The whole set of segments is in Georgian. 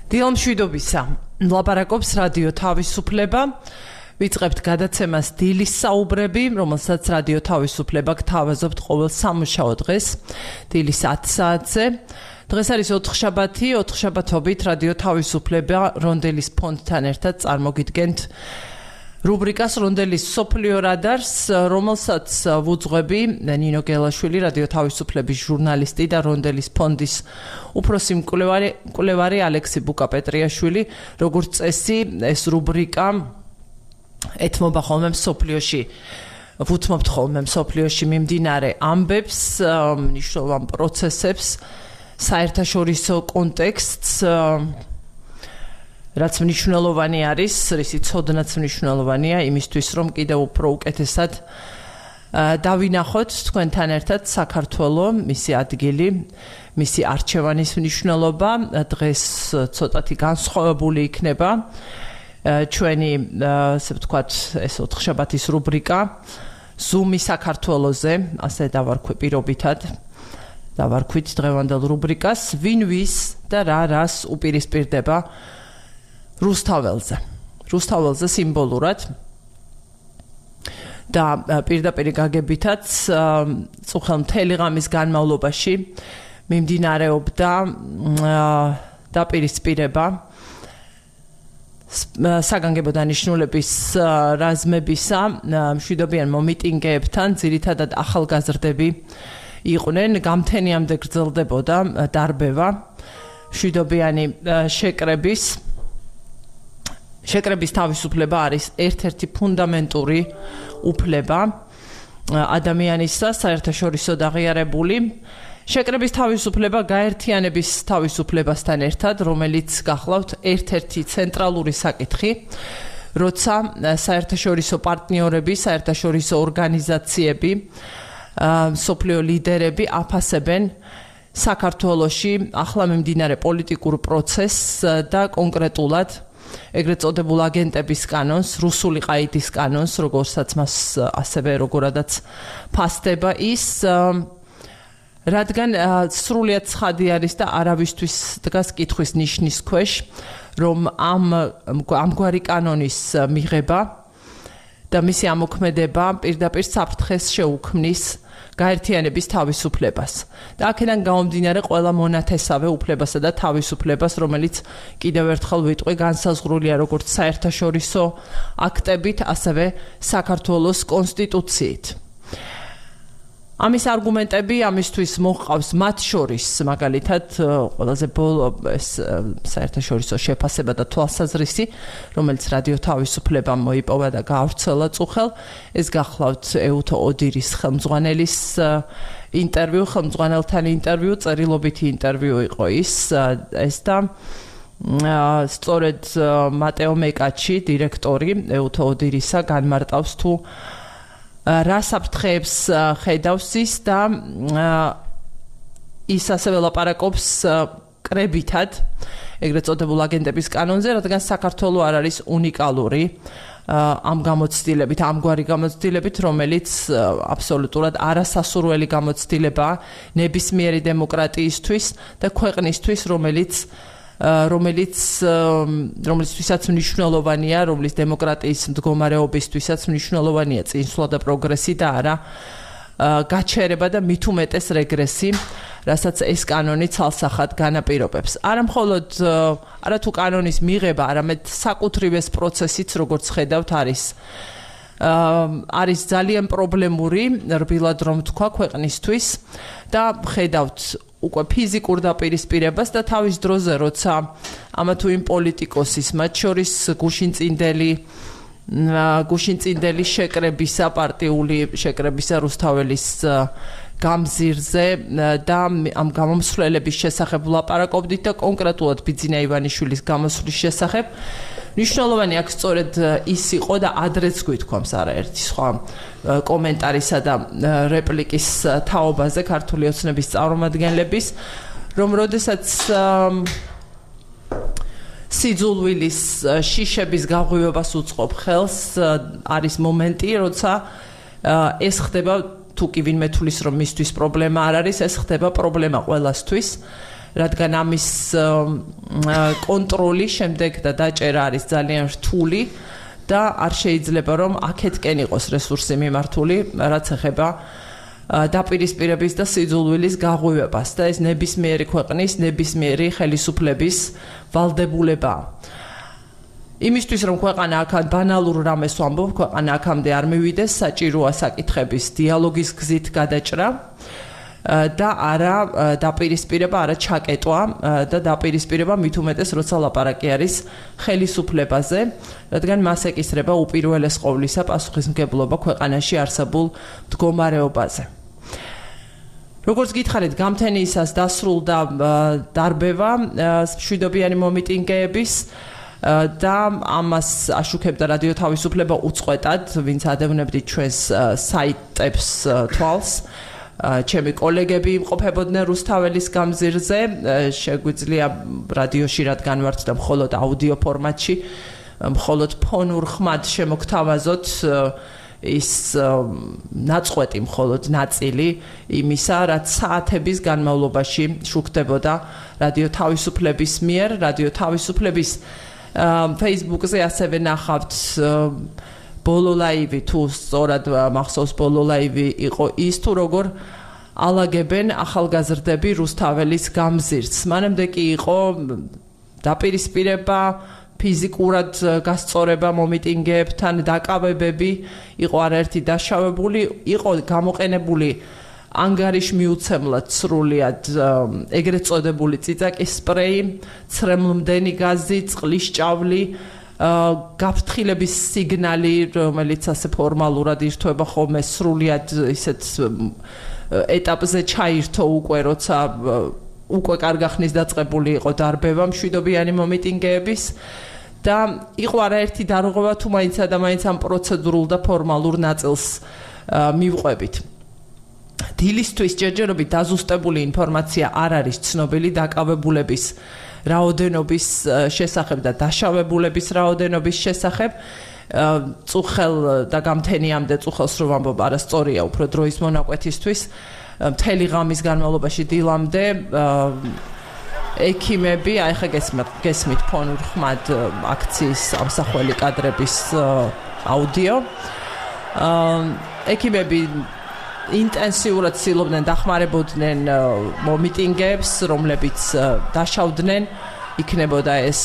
დილამშვიდობისა. ლაპარაკობს რადიო თავისუფლება. ვიწყებთ გადაცემას დილის საუბრები, რომელსაც რადიო თავისუფლება გთავაზობთ ყოველ სამუშაო დღეს, დილის 10 საათზე. დღეს არის ოთხშაბათობით რადიო თავისუფლება რონდელის ფონდთან ერთად წარმოგიდგენთ რუბრიკას რონდელის სოფლიო რადარს, რომელსაც ვუძღვები ნინო გელაშვილი, რადიო თავისუფლების ჟურნალისტი და რონდელის ფონდის უფროსი მკვლევარი ალექსი ბუკაპეტრიაშვილი. როგორც წესი, ეს რუბრიკა ეთმობა ხოლმე მსოფლიოში, ვუთმობთ ხოლმე მსოფლიოში მიმდინარე ამბებს, მნიშვნელოვან პროცესებს, საერთაშორისო კონტექსტს, რაც მნიშვნელოვანი არის, რისი ცოდნაც მნიშვნელოვანია იმისთვის, რომ კიდევ უფრო უკეთესად დავინახოთ თქვენთან ერთად საქართველო, მისი ადგილი, მისი არჩევანის მნიშვნელობა. დღეს ცოტათი განსხვავებული იქნება ჩვენი, ასე ვთქვათ, ეს ოთხშაბათის რუბრიკა ზუმი საქართველოზე, ასე დავარქვი პირობითად. დავარქვით დღევანდელ რუბრიკას, ვინ ვის და რას უპირისპირდება რუსთაველზე სიმბოლურად და პირდაპირ გაგებითაც წუხელ მთელი ღამის განმავლობაში მიმდინარეობდა დაპირისპირება საგანგებო დანიშნულების რაზმებისა მშვიდობიან მომიტინგეებთან, ძირითადად ახალგაზრდები იყვნენ, გამთენიამდე გრძელდებოდა დარბევა მშვიდობიანი შეკრების თავისუფლება არის ერთ-ერთი ფუნდამენტური უფლება ადამიანისა, საერთაშორისო აღიარებული. შეკრების თავისუფლება გაერთიანების თავისუფლებასთან ერთად, რომელიც გახლავთ ერთ-ერთი ცენტრალური საკითხი, როცა საერთაშორისო პარტნიორები, საერთაშორისო ორგანიზაციები, მსოფლიო ლიდერები აფასებენ საქართველოში ახლა მიმდინარე პოლიტიკურ პროცესს და კონკრეტულად ეგრეთ წოდებულ აგენტების კანონს, რუსული ყაიდის კანონს, როგორცაც მას ასევე როგორადაც ფასდება ის, რადგან სრულიად ცხადი არის და არავისთვის დგას კითხვის ნიშნის ქვეშ, რომ ამგვარი კანონის მიღება და მისი ამოქმედება პირდაპირ საფრთხეს შეუქმნის გაერთიანების თავისუფლებას. და აქედან გამომდინარე ყველა მონათესავე უფლებასა და თავისუფლებას, რომელიც კიდევ ერთხელ ვიტყვი, განსაზღვრულია როგორც საერთაშორისო აქტებით, ასევე საქართველოს კონსტიტუციით. ამის არგუმენტები ამისთვის მოჰყავს მათ შორის, მაგალითად, ყველაზე ბოლო ეს საერთაშორისო შეფასება და თვალსაზრისი, რომელიც რადიო თავისუფლებამ მოიპოვა და გაავრცელა წუხელ, ეს გახლავთ ეუთო ოდირის ხელმძღვანელის ინტერვიუ, ხელმძღვანელთან ინტერვიუ, წერილობითი ინტერვიუ იყო ეს და სწორედ მატეო მეკაჩი, დირექტორი ეუთო ოდირისა, განმარტავს თუ რა საფრთხეებს ხედავს ის და ის ასევე ლაპარაკობს კრებითად ეგრეთ წოდებულ აგენტების კანონზე, რადგან საქართველო არ არის უნიკალური ამგვარი გამოცდილებით, რომელიც აბსოლუტურად არასასურველი გამოცდილებაა ნებისმიერი დემოკრატიისთვის და ქვეყნისთვის, რომლისთვისაც მნიშვნელოვანია, რომლის დემოკრატიის მდგომარეობისთვისაც მნიშვნელოვანია წინსვლა და პროგრესი და არა გაჩერება და მით უმეტეს რეგრესი, რასაც ეს კანონი ცალსახად განაპირობებს. არა თუ კანონის მიღება, არამედ საკუთრივ ეს პროცესიც, როგორც ხედავთ, არის ძალიან პრობლემური, რბილად რომ თქვა, ქვეყნისთვის და ხედავთ უკვე ფიზიკურ დაპირისპირებას და თავის დროზე, როცა ამა თუ იმ პოლიტიკოსის, მათ შორის გუშინწინდელი შეკრებისა, პარტიული შეკრებისა რუსთაველის გამზირზე და ამ გამომსვლელების შესახებ ვლაპარაკობდით და კონკრეტულად ბიძინა ივანიშვილის გამოსვლის შესახებ. მნიშვნელოვანი აქ სწორედ ის იყო და ადრეც გვითქვამს არაერთი სხვა კომენტარისა და რეპლიკის თაობაზე ქართული ოცნების წარმომადგენლების, რომ როდესაც სიძულვილის შიშების გაღვივებას უწყობ ხელს, არის მომენტი, როცა ეს ხდება, თუ კი ვინმე თulis რომ მისთვის პრობლემა არ არის, ეს ხდება პრობლემა ყველასთვის რადგან ამის კონტროლი შემდეგ და დაჭერა არის ძალიან რთული და არ შეიძლება რომ აქეთკენ იყოს რესურსი მიმართული, რაც ეხება დაპირისპირების და სიძულვილის გაღვივებას და ეს ნებისმიერი ქვეყნის, ნებისმიერი ხელისუფლების ვალდებულებაა. იმისთვის რომ ქვეყანა აქ ბანალურ რამეს ვამბობ, ქვეყანა აქამდე არ მივიდეს, საჭიროა საკითხების დიალოგის გზით გადაჭრა და არა დაპირისპირება, არა ჩაკეტვა და დაპირისპირება მით უმეტეს როცა ლაპარაკი არის ხელისუფლებაზე, რადგან მას ეკისრება უპირველეს ყოვლისა პასუხისმგებლობა ქვეყანაში არსებულ მდგომარეობაზე. როგორც გითხარით, გამთენიისას დასრულდა დარბევა მშვიდობიანი მომიტინგეების და ამას აშუქებდა რადიო თავისუფლება უწყვეტად, ვინც ადევნებდით ჩვენს საიტებს თვალს. ჩემი კოლეგები იმყოფებოდნენ რუსთაველის გამზირზე, შეგვიძლია რადიოში რადგან ვართ და მხოლოდ აუდიო ფორმატში, მხოლოდ ფონურ ხმად შემოგთავაზოთ ის ნაწყვეტი მხოლოდ ნაწილი იმისა, რაც საათების განმავლობაში შუქდებოდა რადიო თავისუფლების მიერ, რადიო თავისუფლების Facebook-ზე ასევე ნახავთ ბოლო ლაივი, თუ სწორად მახსოვს ბოლო ლაივი იყო ის, თუ როგორ ალაგებენ ახალგაზრდები რუსთაველის გამზირს. მანამდე კი იყო დაპირისპირება, ფიზიკურად გასწორება მომიტინგეებთან, დაკავებები, იყო არაერთი დაშავებული, იყო გამოყენებული ანგარიშმიუცემლად სრულიად ეგრეთ წოდებული წიწაკის სპრეი, ცრემლმდენი გაზი, წყლის ჭავლი, გაფრთხილების სიგნალი, რომელიც ასე ფორმალურად ირთვება ხოლმე სრულიად ისეთ ეტაპზე ჩაირთო უკვე, როცა უკვე კარგახნის დაწყებული იყო დარბევა მშვიდობიანი მომიტინგეების და იყო არაერთი დარღვევა თუ მაინცა და მაინც ამ პროცედურულ და ფორმალურ ნაწილს მივყვებით. დილისთვის ჯერჯერობით დაზუსტებული ინფორმაცია არ არის ცნობილი დაკავებულების რაოდენობის შესახებ და დაშავებულების რაოდენობის შესახებ. წუხელ და გამთენიამდე წუხელს რო ვამბობ, არასწორია უფრო დროის მონაკვეთისთვის. მთელი ღამის განმავლობაში დილამდე ექიმები, აი ხა გესმით ფონურ ხმად აქციის ამსახველი კადრების აუდიო. ექიმები ინტენსიურად ცდილობდნენ დახმარებოდნენ მომიტინგეებს, რომლებიც დაშავდნენ, იქნებოდა ეს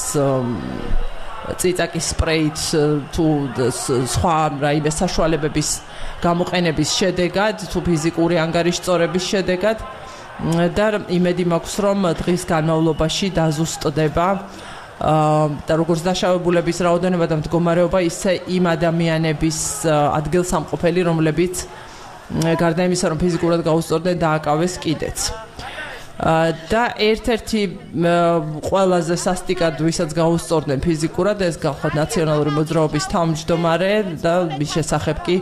წიწაკის სპრეით თუ სხვა რაიმე საშუალებების გამოყენების შედეგად, თუ ფიზიკური ანგარიშწორების შედეგად და იმედი მაქვს, რომ დღის განმავლობაში დაზუსტდება და როგორც დაშავებულების რაოდენობა და მდგომარეობა, ისე იმ ადამიანების ადგილსამყოფელი, რომლებიც გარდა იმისა, რომ ფიზიკურად გაუსწორდნენ, დააკავეს კიდეც. და ერთ-ერთი ყველაზე სასტიკად ვისაც გაუსწორდნენ ფიზიკურად, ეს გახლავთ ნაციონალური მოძრაობის თავმჯდომარე და მის შესახებ კი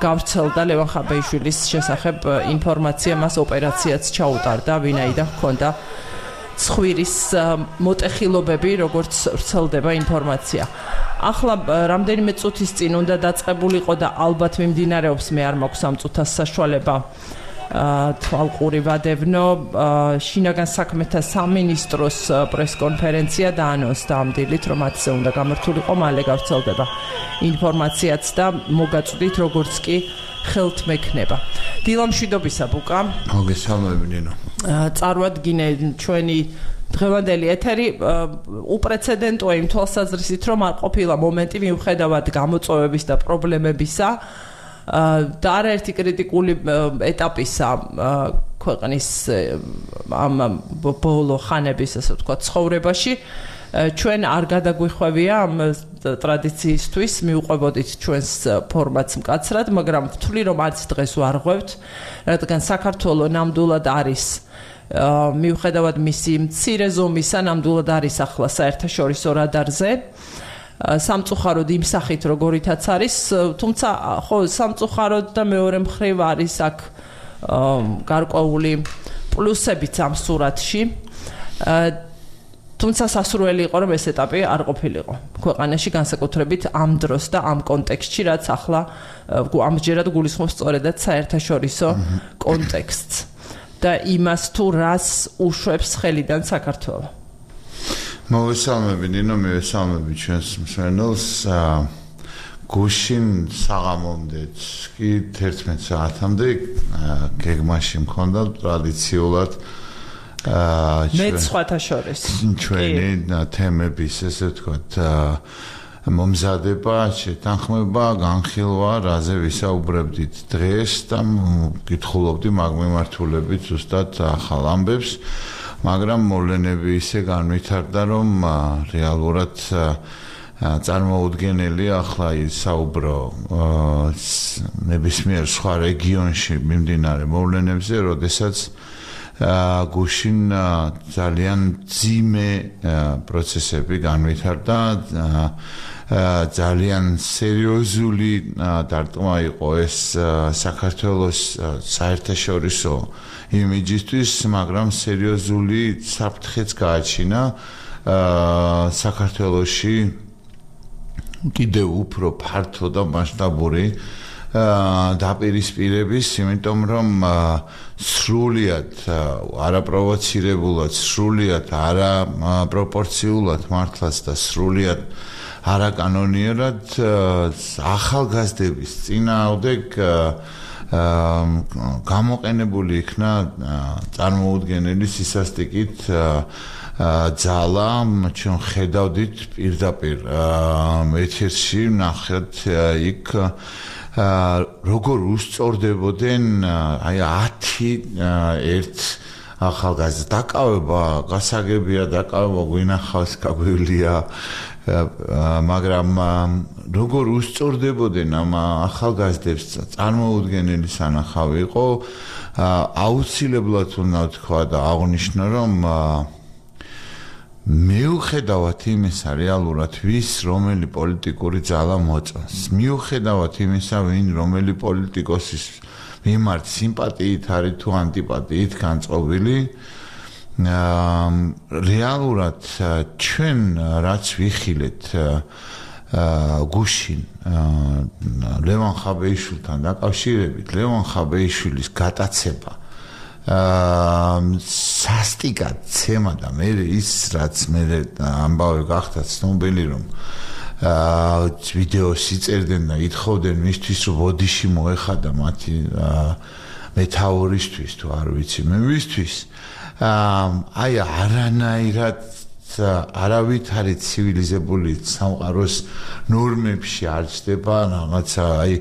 გავრცელდა ლევან ხაბეიშვილის შესახებ ინფორმაცია, მას ოპერაციაც ჩაუტარდა, ვინაიდან ჰქონდა ცხვირის მოტეხილობები, როგორც ვრცელდება ინფორმაცია. ახლა რამდენიმე წუთის წინ უნდა დაწყებულიყო და ალბათ მიმდინარეობს, მე არ მაქვს ამ წუთას საშუალება თვალყური ვადევნო, შინაგან საქმეთა სამინისტროს პრესკონფერენცია დაანონსდა ამ დილით, რომ მათზე უნდა გამართულიყო, მალე გავრცელდება ინფორმაციაც და მოგაწვდით, როგორც კი ხელთ მექნება. დილა მშვიდობისა, ბუკა. მოგესალმები, ნინო. წარვადგინე ჩვენი დღევანდელი ეთერი უპრეცედენტოა იმ თვალსაზრისით, რომ არ ყოფილა მომენტი მიუხედავად გამოწვევების და პრობლემებისა და არაერთი კრიტიკული ეტაპისა ქვეყნის ამ ბოლო ხანების, ასე ვთქვათ, ცხოვრებაში, ჩვენ არ გადაგვიხვევია ამ ტრადიციისთვის, მივყვებოდით ჩვენს ფორმატს მკაცრად, მაგრამ ვთვლი, რომ არც დღეს ვარ ღვევთ, რადგან საქართველო ნამდვილად არის მიუხედავად მისი მცირე ზომისა, ნამდვილად არის ახლა საერთაშორისო რადარზე. სამწუხაროდ იმ სახით როგორითაც არის, თუმცა ხო სამწუხაროდ და მეორე მხრივ არის აქ გარკვეული პლუსებიც ამ სურათში. თუმცა სასურველი იყო, რომ ეს ეტაპი არ ყოფილიყო ქვეყანაში, განსაკუთრებით ამ დროს და ამ კონტექსტში, რაც ახლა ამჯერად გულისხმობს სწორედაც საერთაშორისო კონტექსტს. და იმას თუ რას უშვებს ხელიდან საქართველო. მოვესალმები ნინო, მივესალმები ჩვენს მსმენელს. გუშინ საღამომდე კი 11 საათამდე გეგმაში მქონდა ტრადიციულად მეც სხვათა შორის ჩვენი თემების ესე ვთქვათ მომზადება, შეთანხმება, განხილვა, რაზე ვისაუბრებდით დღეს და გითხულობდი მაგ მიმართულებით ზუსტად ახალ ამბებს, მაგრამ მოვლენები ისე განვითარდა, რომ რეალურად წარმოუდგენელი ახლა ისაუბრო ნებისმიერ სხვა რეგიონში მიმდინარე მოვლენებზე, როდესაც გუშინ ძალიან ძიმე პროცესები განვითარდა, ძალიან სერიოზული დარტყმა იყო ეს საქართველოს საერთაშორისო იმიჯისთვის, მაგრამ სერიოზული საფრთხეც გააჩინა საქართველოში კიდევ უფრო ფართო და მასშტაბური დაპირისპირების, იმიტომ რომ სრულიად არაპროვოცირებულად, სრულიად არაპროპორციულად მართლაც და სრულიად არაკანონიერად ახალგაზრდების წინააღმდეგ გამოყენებული იქნა წარმოუდგენელი სისასტიკით ძალა, ჩვენ ხედავდით პირდაპირ ეთერში, ნახეთ იქ როგორ უსწორდებოდნენ აი 10 ახალგაზრდა დაკავება, გასაგებია დაკავება გვინახავს, გაგვივლია, მაგრამ როგორ უსწორდებოდნენ ამ ახალგაზრდებს წარმოუდგენელი სანახავი იყო, აუცილებლად უნდა თქვა და აღვნიშნო, რომ მიუხედავად იმისა რეალურად ვის რომელი პოლიტიკური ძალა მოწონს, მიუხედავად იმისა ვინ რომელი პოლიტიკოსის მიმართ სიმპათიით არის თუ ანტიპათიით განწყობილი, რეალურად ჩვენ რაც ვიხილეთ გუშინ ლევან ხაბეიშვილთან დაკავშირებით, ლევან ხაბეიშვილის გატაცება სასტიკად ცემა და მე ის რაც მე ამბავი გახდა ცნობილი, რომ ვიდეოს იწერდნენ და ითხოვდნენ მისთვის, რომ ბოდიში მოეხადა მათი მეთაურისთვის თუ არ ვიცი მე ვისთვის, აი არანაირად არავითარი ცივილიზებული სამყაროს ნორმებში არ ჩდება რაღაცა, აი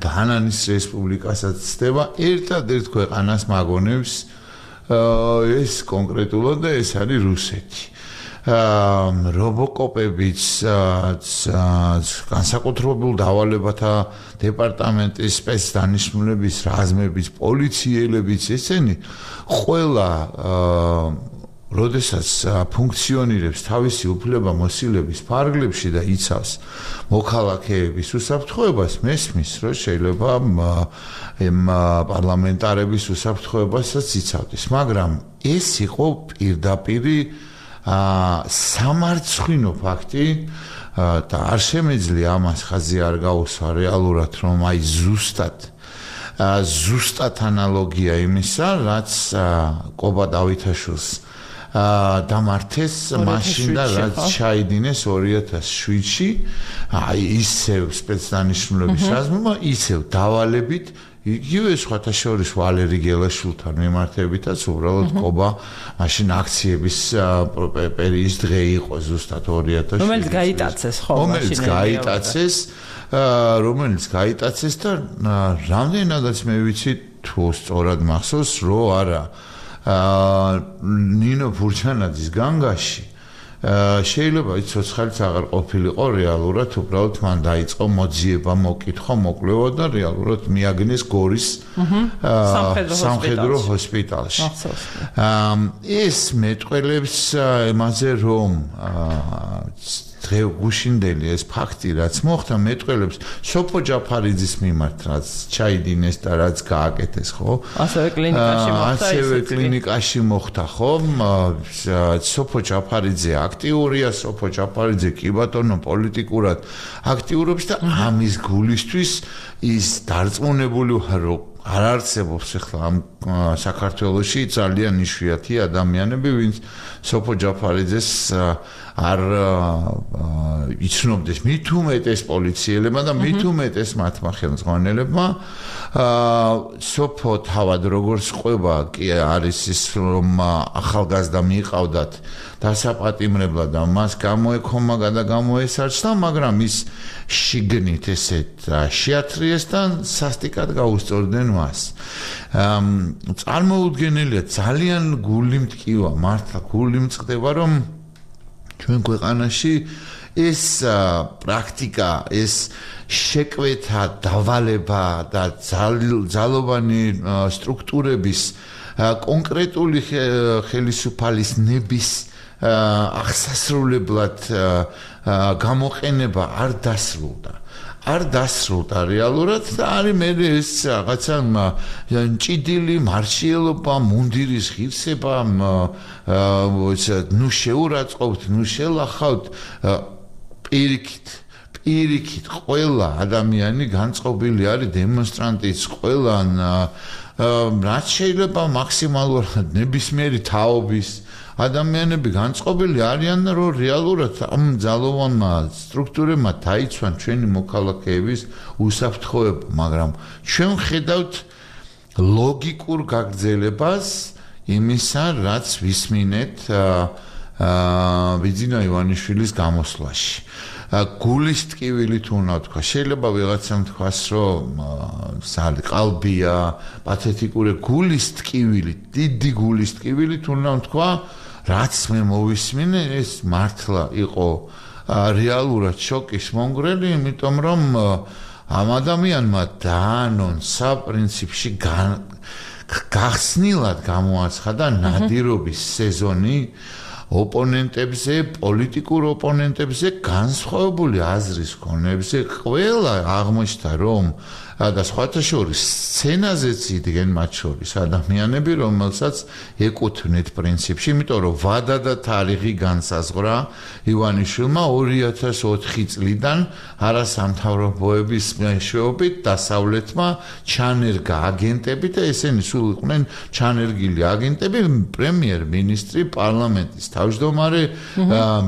ბანანის რესპუბლიკასაც ცდება, ერთადერთ ქვეყანას მაგონებს ეს კონკრეტულად და ეს არის რუსეთი. რობოკოპებიც, განსაკუთრებულ დავალებათა დეპარტამენტის სპეცდანიშნულების რაზმების, პოლიციელებიც, ესენი ყველა როდესაც ფუნქციონირებს თავისი უფლება-მოსილების ფარგლებში და იცავს მოქალაქეების უსაფრთხოებას, მესმის, რომ შეიძლება პარლამენტარების უსაფრთხოებასაც იცავდეს, მაგრამ ეს იყო პირდაპირი სამარცხვინო ფაქტი და არ შემეძლია ამას ხაზი არ გაუსვა რეალურად, რომ აი ზუსტად ანალოგია იმისა, რაც კობა დავითაშვილს დამართეს მაშინ და რაც ჩაიდინეს 2007-ში, აი ისევ სპეცდანიშნულების რაზმმა, ისევ დავალებით, იგივე სხვათა შორის ვალერი გელაშვილთან მიმართებითაც უბრალოდ კობა მაშინ აქციების პერიის დღე იყო ზუსტად 2007-ში. რომელიც გაიტაცეს, ხო, რომელიც გაიტაცეს და რამდენადაც მე ვიცი თუ სწორად მახსოვს, რომ არა ნინო ფურჩანაძის განგაში შეიძლება ის ცოცხალიც აღარ ყოფილიყო რეალურად, უბრალოდ მან დაიწყო მოძიება, მოკითხვა, მოკვლევა და რეალურად მიაგნეს გორის სამხედრო ჰოსპიტალში. ეს მეტყველებს იმაზე, რომ დღე გუშინდელი ეს ფაქტი რაც მოხდა მეტყველებს სოფო ჯაფარიძის მიმართ რაც ჩაიდინეს და რაც გააკეთეს, ხო? ასევე კლინიკაში მოხდა, ხო? სოფო ჯაფარიძე აქტიურია, სოფო ჯაფარიძე კი ბატონო პოლიტიკურად აქტიურობს და ამის გულისთვის ის დარწმუნებული ვარ, რომ არ არსებობს ახლა ამ საქართველოში ძალიან იშვიათი ადამიანები, ვინც სოფო ჯაფარიძეს არ იცნობდეს მით უმეტეს პოლიციელებმა და მით უმეტეს მათმა ხელმძღვანელებმა სოფო თავად როგორც ყვება კი არის ის რომ ახალგაზრდა მიიყავდათ დასაპატიმრებლად და მას გამოექომა და გამოესარჩა, მაგრამ ის შიგნით ესეთ შეათრიეს და სასტიკად გაუსწორდნენ მას. წარმოუდგენელია, ძალიან გული მტკივა, მართლა გული მწყდება, რომ ჩვენ ქვეყანაში ეს პრაქტიკა, ეს შეკვეთა, დავალება და ძალოვანი სტრუქტურების კონკრეტული ხელისუფალის ნების აღსასრულებლად გამოყენება არ დასრულდა. არ დასრულდა რეალურად და არის მე ეს რაღაცა ჭიდილი მარშიელობა, მუნდირის ღირსება, ნუ შეურაცხყოფთ, ნუ შელახავთ, პირიქით ყველა ადამიანი განწყობილი არის დემონსტრანტის ყველა რაც შეიძლება მაქსიმალურად ნებისმიერი თაობის ადამიანები განწყობილი არიან და რომ რეალურად ამ ძალოვანმა სტრუქტურებმა დაიცვან ჩვენი მოქალაქეების უსაფრთხოება, მაგრამ ჩვენ ხედავთ ლოგიკურ გაგრძელებას იმისა, რაც ვისმინეთ ბიძინა ივანიშვილის გამოსვლაში. გულის ტკივილით უნდა თქვა, შეიძლება ვიღაცამ თქვას, რომ ყალბია, პათეტიკური გულის ტკივილით, დიდი გულის ტკივილით უნდა თქვა, რაც მე მოვისმინე, ეს მართლა იყო რეალურად შოკის მომგვრელი, იმიტომ რომ ამ ადამიანმა დაანონსა პრინციპში გახსნილად გამოაცხადა ნადირობის სეზონი ოპონენტებზე, პოლიტიკურ ოპონენტებზე, განსხვავებული აზრის მქონეებზე, ყველა აღმოჩნდა, რომ და სხვათა შორის სცენაზეც იდგენ მათ შორის ადამიანები, რომელსაც ეკუთვნით პრინციპში, იმიტომ რომ ვადა და თარიღი განსაზღვრა ივანიშვილმა 2004 წლიდან არასამთავრობოების მეშვეობით დასავლეთმა ჩანერგა აგენტები და ესენი სულ იყვნენ ჩანერგილი აგენტები, პრემიერ-მინისტრი, პარლამენტის თავმჯდომარე,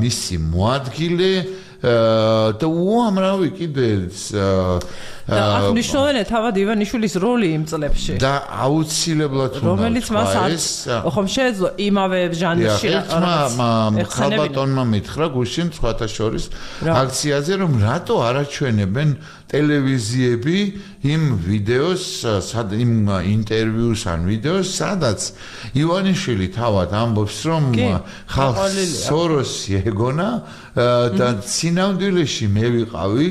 მისი მოადგილე და უამრავი კიდე და აღნიშნულია თავად ივანიშვილის როლი იმ წლებში და აუცილებლად რომელიც მას ხომ შეეძლო იმავე ჟანრში ხალბატონმა მითხრა გუშინ სხვათა შორის აქციაზე რომ რატო არ აჩვენებენ ტელევიზიები იმ ვიდეოს, იმ ინტერვიუს ან ვიდეოს, სადაც ივანიშვილი თავად ამბობს, რომ ხალხს სოროსი ეგონა და სინამდვილეში მე ვიყავი,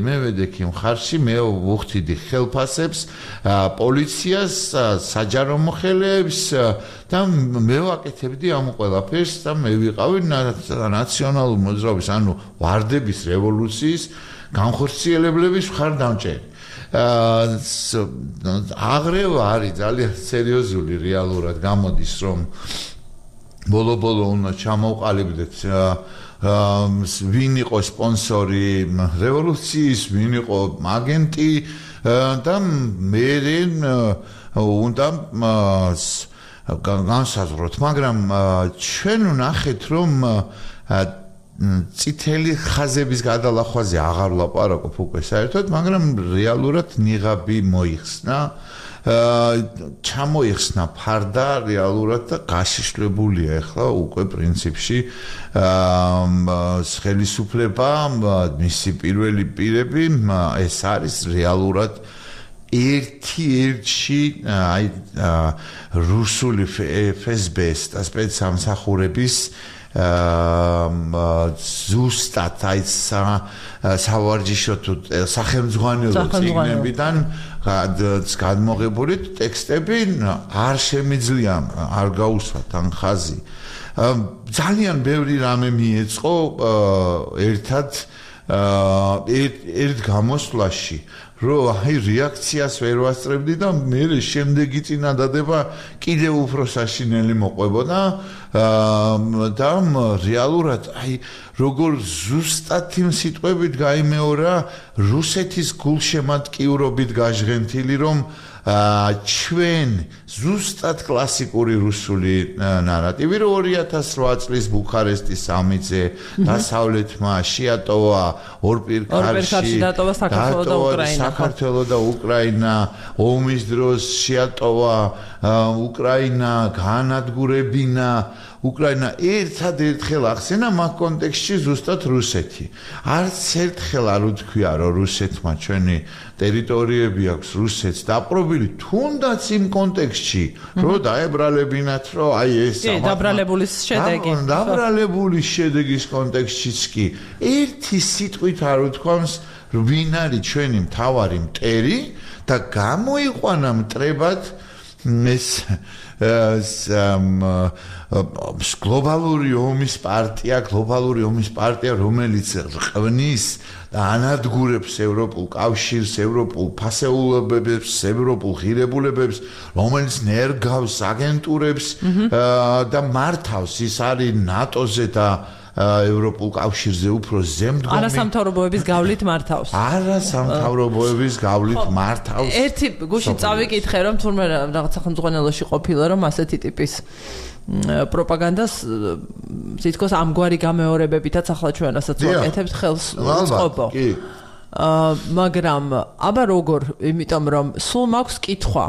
მევედექ იმ ხარში, მე ვუხდიდი ხელფასებს, პოლიციას, საჯარო მოხელეებს და მე ვაკეთებდი ამ ყველაფერს და მე ვიყავი ნაციონალურ მოძრაობის, ანუ ვარდების რევოლუციის განხორციელებლების მხარდამჭერი. აღრევა არის ძალიან სერიოზული რეალურად გამოდის რომ ბოლო-ბოლო უნდა ჩამოვყალიბდეთ ვინ იყო სპონსორი რევოლუციის, ვინ იყო აგენტი და მე უნდა განსაზღვროთ, მაგრამ ჩვენ ვნახეთ რომ წითელი ხაზების გადალახვაზე აღარ ვლაპარაკობ უკვე საერთოდ, მაგრამ რეალურად ნიღაბი მოიხსნა, ჩამოიხსნა ფარდა რეალურად და გაშიშვლებულია ახლა უკვე პრინციპში ხელისუფლება, მისი პირველი პირები, ეს არის რეალურად ერთ-ერთი რუსული FSB-ს და სპეცსამსახურების ზუსტად აი სავარჯიშო თუ სახელმძღვანელო წიგნებიდან გადმოღებული ტექსტები არ შემიძლია არ გაუსვათ ან ხაზი ძალიან ბევრი რამე მიეწყო ერთ გამოსვლაში რომ აი რეაქციას ვერ ვასწრებდი და მე შემდეგი წინადადება კიდევ უფრო საშინელი მოყვებოდა და რეალურად აი როგორ ზუსტად იმ სიტყვებით გაიმეორა რუსეთის გულშემატკივრობით გაჟღენთილი რომ ჩვენ ზუსტად კლასიკური რუსული ნარატივი, რომ 2008 წლის ბუქარესტის სამიტზე დასავლეთმა შეატოვა ორპირქარში დატოვა საქართველო და უკრაინა, ომის დროს შეატოვა უკრაინა, გაანადგურებინა უკრაინა ერთადერთხელ ახსენა მაგ კონტექსტში ზუსტად რუსეთი. არც ერთხელ არ უთქვია, რომ რუსეთმა ჩვენი ტერიტორიები აქვს რუსეთს დაპყრობილი, თუნდაც იმ კონტექსტში, რომ დაებრალებინათ, რომ აი ეს დაბრალებულის შედეგი. დაბრალებული შედეგის კონტექსტშიც კი ერთი სიტყვით არ უთქვამს, ვინ არის ჩვენი მთავარი მტერი და გამოიყვანა მტრებად ეს გლობალური ომის პარტია, რომელიც რყვნის და ანადგურებს ევროპულ კავშირს, ევროპულ ფასეულებებს, ევროპულ ღირებულებებს, რომელიც ნერგავს აგენტურებს და მართავს, ის არის ნატოზე და ევროპულ კავშირზე უფრო ზემდგომი. არასამთავრობოების გავლით მართავს. ერთი გუშინ წავიკითხე, რომ თურმე რაღაც სახელმწიფოებში ყოფილა, რომ ასეთი ტიპის პროპაგანდას თითქოს ამგვარი გამეორებებითაც ახლა ჩვენ რასაც ვაკეთებთ ხელს უწყობო. მაგრამ აბა როგორ, იმიტომ რომ სულ მაქვს კითხვა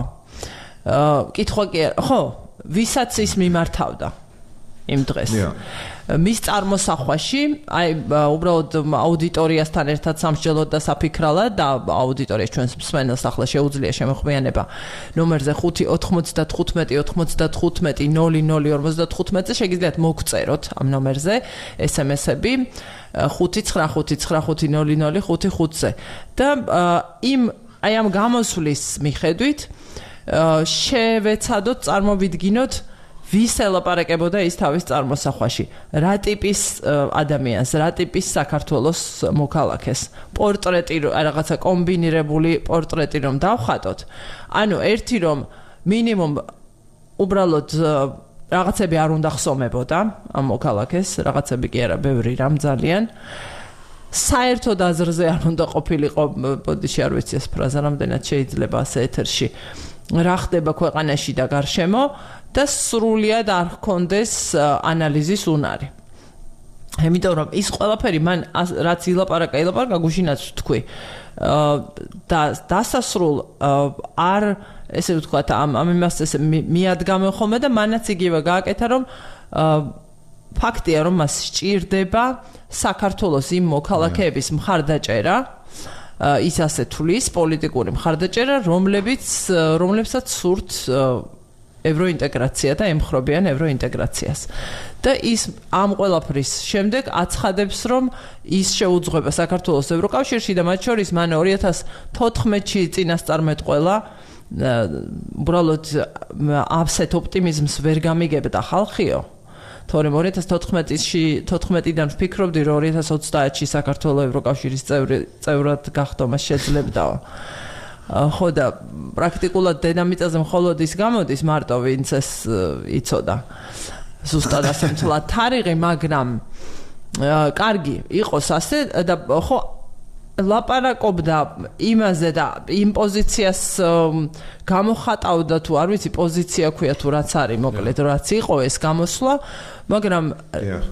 კი ხო, ვისაც ის მიმართავდა იმ დღეს. მის წარმოსახვაში, აი უბრალოდ აუდიტორიასთან ერთად სამსჯელოდ და საფიქრალად და აუდიტორიას ჩვენს მსმენელს ახლა შეუძლია შემოხმიანება ნომერზე 5-95-95-00-55-00-55-ზე შეგიძლიათ მოგწეროთ ამ ნომერზე SMS-ები 5-9-5-9-5-0-0-5-5-ზე და აი ამ გამოსვლის მიხედვით შევეცადოთ წარმოვიდგინოთ ვის ელაპარაკებოდა ის თავის წარმოსახვაში, რა ტიპის ადამიანს, რა ტიპის საქართველოს მოქალაქეს, პორტრეტი, რაღაცა კომბინირებული პორტრეტი რომ დავხატოთ, ანუ ერთი რომ მინიმუმ უბრალოდ რაღაცები არ უნდა ხსომებოდა ამ მოქალაქეს, რაღაცები კი არა, ბევრი რამ ძალიან საერთოდ აზრზე არ უნდა ყოფილიყო, ბოდიში არ ვიცი ეს ფრაზა რამდენად შეიძლება ასე ეთერში, რა ხდება ქვეყანაში და გარშემო და სრულიად არ ჰქონდეს ანალიზის უნარი. იმიტომ რომ ის ყველაფერი მან რაც ილაპარაკა გუშინაც თქვი და დასასრულ არ ესე ვთქვათ ამ იმას ესე მიადგამე ხოლმე და მანაც იგივე გააკეთა რომ ფაქტია რომ მას სჭირდება საქართველოს იმ მოქალაქეების მხარდაჭერა ის ასე თulis პოლიტიკური მხარდაჭერა რომლებსაც სურთ ევროინტეგრაცია და ემხრობიან ევროინტეგრაციას. და ის ამ ყველაფრის შემდეგ აცხადებს, რომ ის შეუძღვება საქართველოს ევროკავშირში და მათ შორის მან 2014-ში წინასწარმეტყველა უბრალოდ ასეთ ოპტიმიზმს ვერ გამიგებდა ხალხიო. თორემ 2014-დან ვფიქრობდი, რომ 2030-ში საქართველოს ევროკავშირის წევრად გახდომა შეძლებდაო. ხო და პრაქტიკულად დედამიწაზე მხოლოდ ის გამოდის მარტო ვინც ეს იცოდა ზუსტად ასე მთლად თარიღი, მაგრამ კარგი იყოს ასე და ხო ლაპარაკობდა იმაზე და იმ პოზიციას გამოხატავდა თუ არ ვიცი პოზიცია ქვია თუ რაც არის მოკლედ რაც იყო ეს გამოსვლა, მაგრამ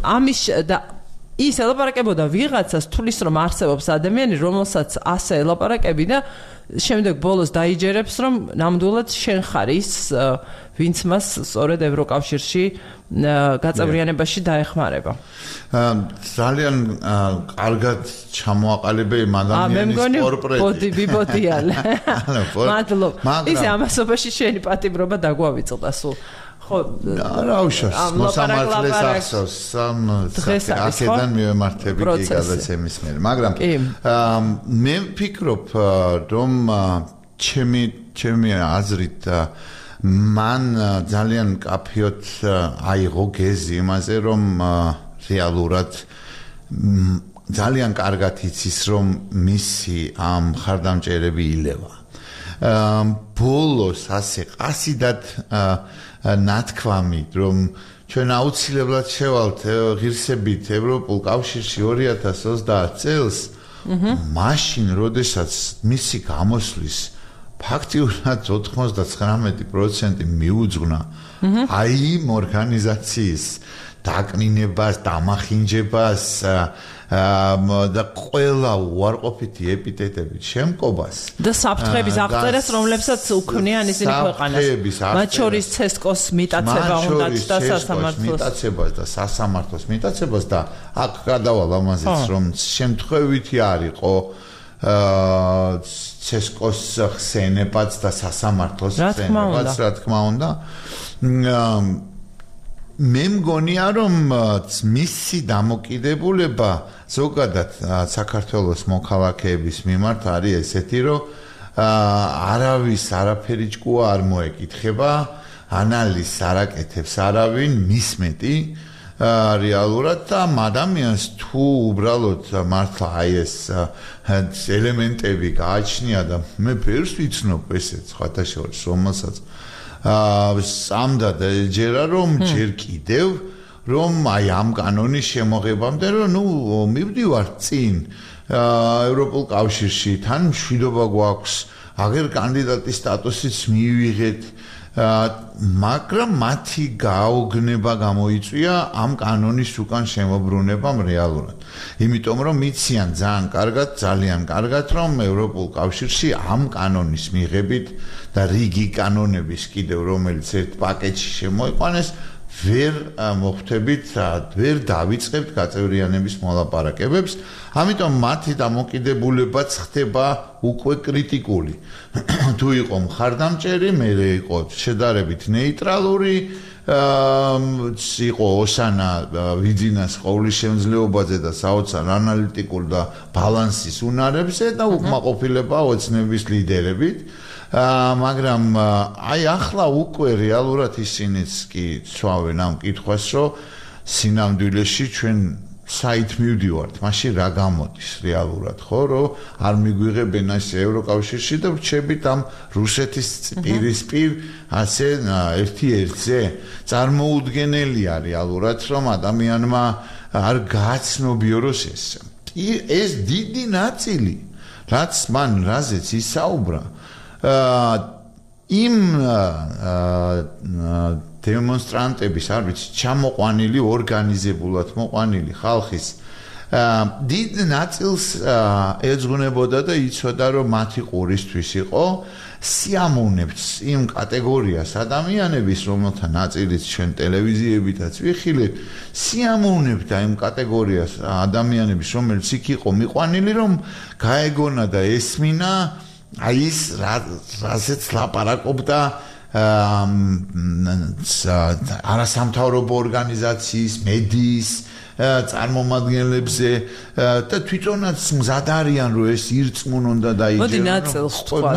ამის და ის ელაპარაკებოდა ვიღაცას თulis რომ არსებობს ადამიანი რომელსაც ასე ელაპარაკები და შემდეგ ბოლოს დაიჯერებს რომ ნამდვილად შენ ხარ ის ვინც მას სწორედ ევროკავშირში გაწევრიანებაში დაეხმარება. ძალიან კარგად ჩამოაყალიბე იმ ადამიანის პორტრეტი. ბოდი ბიბოდიალე. მადლობა. ის ამასობაში შენი პატიმრობა დაგვავიწყდა სულ. ხო, რა უშავს, მოსამართლეს ახსოვს, აქედან მივემართები კი გადაცემის მიერ, მაგრამ მე ვფიქრობ, რომ ჩემი აზრით მან ძალიან კაფიოთ აიღო გეზი იმაზე, რომ რეალურად ძალიან კარგად იცის, რომ მისი ამ ხარდამჭერები ილევა. ბოლოს ასე ყასიდად ნათქვამით, რომ ჩვენ აუცილებლად შევალთ ღირსებით ევროპულ კავშირში 2030 წელს, მაშინ, როდესაც მისი გამოსვლის ფაქტიურად 99% მიუძღვნა აი იმ ორგანიზაციის დაკნინებას, დამახინჯებას და ყველა უარყოფითი ეპიტეტებით შემკობას და საფრთხების აღწერას, რომლებსაც უქმნიან ისინი ქვეყანას. მათ შორის CESCO-ს მიტაცება უნდათ და სასამართლოს მიტაცებას და აქ გადავალ ამაზეც რომ შემთხვევითი არ იყო CESCO-ს ხსენებაც და სასამართლოს ხსენებაც, რა თქმა უნდა. მე მგონია რომ მისი დამოკიდებულება ზოგადად საქართველოს მოქალაქეების მიმართ არის ესეთი რომ არავის არაფერი ჭკუა არ მოეკითხება ანალიზს არ აკეთებს არავინ მის მეტი რეალურად და ადამიანს თუ უბრალოდ მართლა აი ეს ელემენტები გააჩნია და მე ფერს ვიცნობ ესეც სხვათა შორის რომელსაც სამდად ეჯერა რომ ჯერ კიდევ რომ აი ამ კანონის შემოღებამდე რომ ნუ მივდივარ წინ ევროპულ კავშირში თან მშვიდობა გვაქვს აგერ კანდიდატის სტატუსიც მივიღეთ მაგრამ მათი გაოგნება გამოიწვია ამ კანონის უკან შემოbrunებამ რეალურად იმიტომ რომ მიციან ძალიან კარგად რომ ევროპულ კავშირში ამ კანონის მიღებით და რიგი კანონების კიდევ რომელიც ერთ პაკეტში შემოიყვანეს ვერ მოხვდებით ვერ დავიწყებთ გაწევრიანების მოლაპარაკებებს ამიტომ მათი დამოკიდებულებაც ხდება უკვე კრიტიკული თუ იყო მხარდამჭერი მე იყო შედარებით ნეიტრალური იყო ოსანა ვიძინას ყოვლის შემძლეობაზე და საოცარ ანალიტიკურ და ბალანსის უნარებზე და უკმაყოფილება ოცნების ლიდერებით მაგრამ აი ახლა უკვე რეალურად ისინიც კი ცვავენ ამ კითხვას რომ სინამდვილეში ჩვენ საით მივდივართ მაშინ რა გამოდის რეალურად ხო რომ არ მიგვიღებენ ასე ევროკავშირში და ვრჩებით ამ რუსეთის პირისპირ ასე ერთ-ერთზე წარმოუდგენელია რეალურად რომ ადამიანმა არ გააცნობიოროს ეს დიდი ნაწილი რაც მან რაზეც ისაუბრა იმ დემონსტრანტების არ ვიცი ჩამოყვანილი ორგანიზებულად მოყვანილი ხალხის დიდ ნაწილს ეძღვნებოდა და იცოდა რომ მათი ყურისთვის იყო სიამოვნებთ იმ კატეგორიას ადამიანების რომელთა ნაწილიც ჩვენ ტელევიზიებითაც ვიხილეთ სიამოვნებთ იმ კატეგორიას ადამიანების რომელიც იქ იყო მიყვანილი რომ გაეგონა და ესმინა აი ის რაზეც ლაპარაკობდა არასამთავრობო ორგანიზაციის მედიის წარმომადგენლებზე და თვითონაც მზად არიან რომ ეს ირწმუნონ და დაიჯერონ მოდი ნაწილს თქვა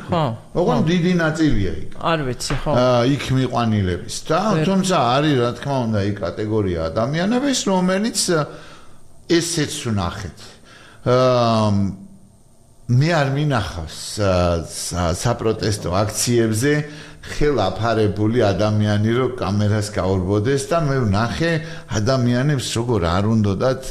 ხო ოღონდ დიდი ნაწილია იქ არ ვიცი ხო იქ მიყვანილების და თუმცა არის რა თქმა უნდა იქ კატეგორია ადამიანების რომელიც ესეც ვნახეთ მე არ მინახავს საპროტესტო აქციებზე ხელაფარებული ადამიანი რო კამერას გაურბოდეს და მე ვნახე ადამიანებს როგორ არ უნდათ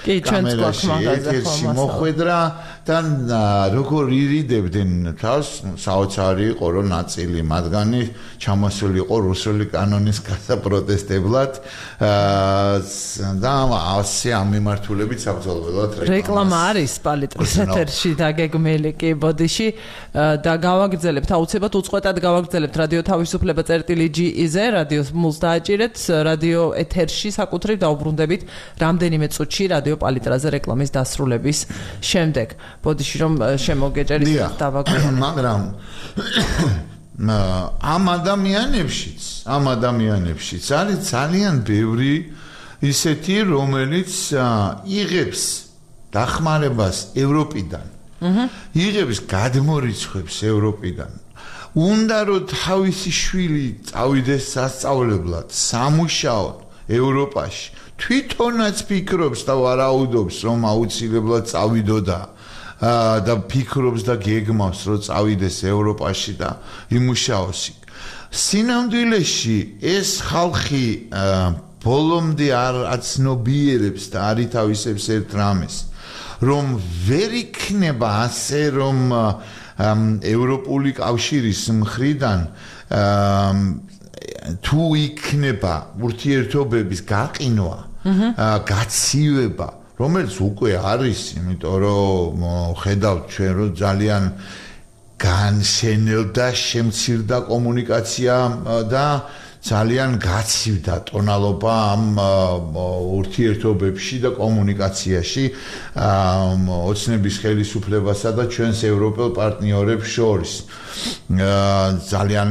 კამერაში ეთერში მოხვედრა და როგორ ირიდებდნენ თავს საოცარი იყო რომ ნაწილი მათგანი ჩამოსული იყო რუსული კანონის გასაპროტესტებლად და ასე ამ მიმართულებით საბრძოლველად რეკლამა არის პალიტრის ეთერში დაგეგმილი კი ბოდიში და გავაგრძელებთ აუცილებლად უწყვეტად გავაგრძელებთ რადიო თავისუფლება წერტილი.ge-ზე რადიოს მულს დააჭირეთ რადიო ეთერში საკუთრივ დაუბრუნდებით რამდენიმე წუთში რადიო პალიტრაზე რეკლამის დასრულების შემდეგ ბოდიში რომ შემოგეჭერით დავაგრძელოთ მაგრამ ამ ადამიანებშიც არის ძალიან ბევრი ისეთი რომელიც იღებს დახმარებას ევროპიდან იღებს გადმორიცხვებს ევროპიდან უნდა რომ თავისი შვილი წავიდეს სასწავლებლად სამუშაოდ ევროპაში თვითონაც ფიქრობს და ვარაუდობს რომ აუცილებლად წავიდოდა და ფიქრობს და გეგმავს რომ წავიდეს ევროპაში და იმუშაოს იქ სინამდვილეში ეს ხალხი ბოლომდე არ აცნობიერებს და არ ითავისებს ერთ რამეს რომ ვერ იქნება ასე რომ ევროპული კავშირის მხრიდან თუ იქნება ურთიერთობების გაყინვა, გაცივება, რომელიც უკვე არის, იმიტომ რომ ხედავთ ჩვენ რომ ძალიან განშენელდა, შემცირდა კომუნიკაცია და ძალიან გაცივდა ტონალობა ამ ურთიერთობებში და კომუნიკაციაში ოცნების ხელისუფლებასა და ჩვენს ევროპელ პარტნიორებს შორის. ძალიან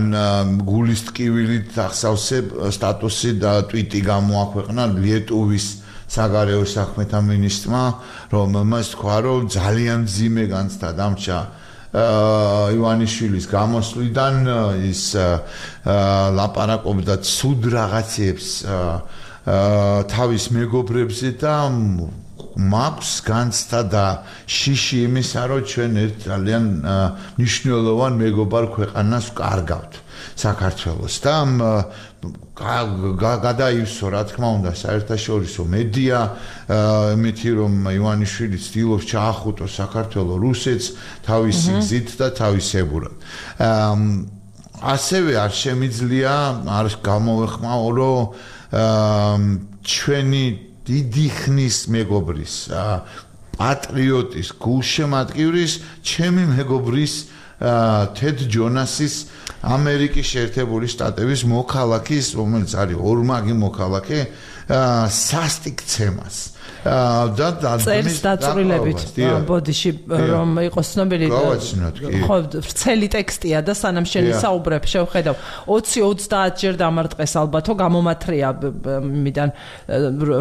გულის ტკივილით ახსავსე სტატუსი და ტვიტი გამოაქვეყნა ლიეტუვის საგარეო საქმეთა მინისტრმა, რომელმაც თქვა, რომ ძალიან მძიმე განცდა დამჭა ივანიშვილის გამოსვლიდან ის ლაპარაკობდა ცუდ რაღაცებს თავის მეგობრებზე და მაქვს განცდა და შიში იმისა, რომ ჩვენ ერთ ძალიან მნიშვნელოვან მეგობარ ქვეყანას ვკარგავთ საქართველოს და გადაივსო რა თქმა უნდა საერთაშორისო მედია იმითი რომ ივანიშვილი ცდილობს ჩაახუტოს საქართველოს რუსეთს თავისი გზით და თავისებურად. ასევე არ შემიძლია არ გამოვეხმაო რომ ჩვენი დიდი ხნის მეგობრის პატრიოტის გულშემატკივრის ჩემი მეგობრის თედ ჯონასის ამერიკის შეერთებული შტატების მოქალაქის, რომელიც არის ორმაგი მოქალაქე, სასტიკცემას და წელს დაწვრილებით ბოდიში რომ იყოს ცნობილი ხო ვრცელი ტექსტია და სანამ შენ საუბრებ შევხედავ 20-30 ჯერ დამარტყეს ალბათო გამომათრია მიდან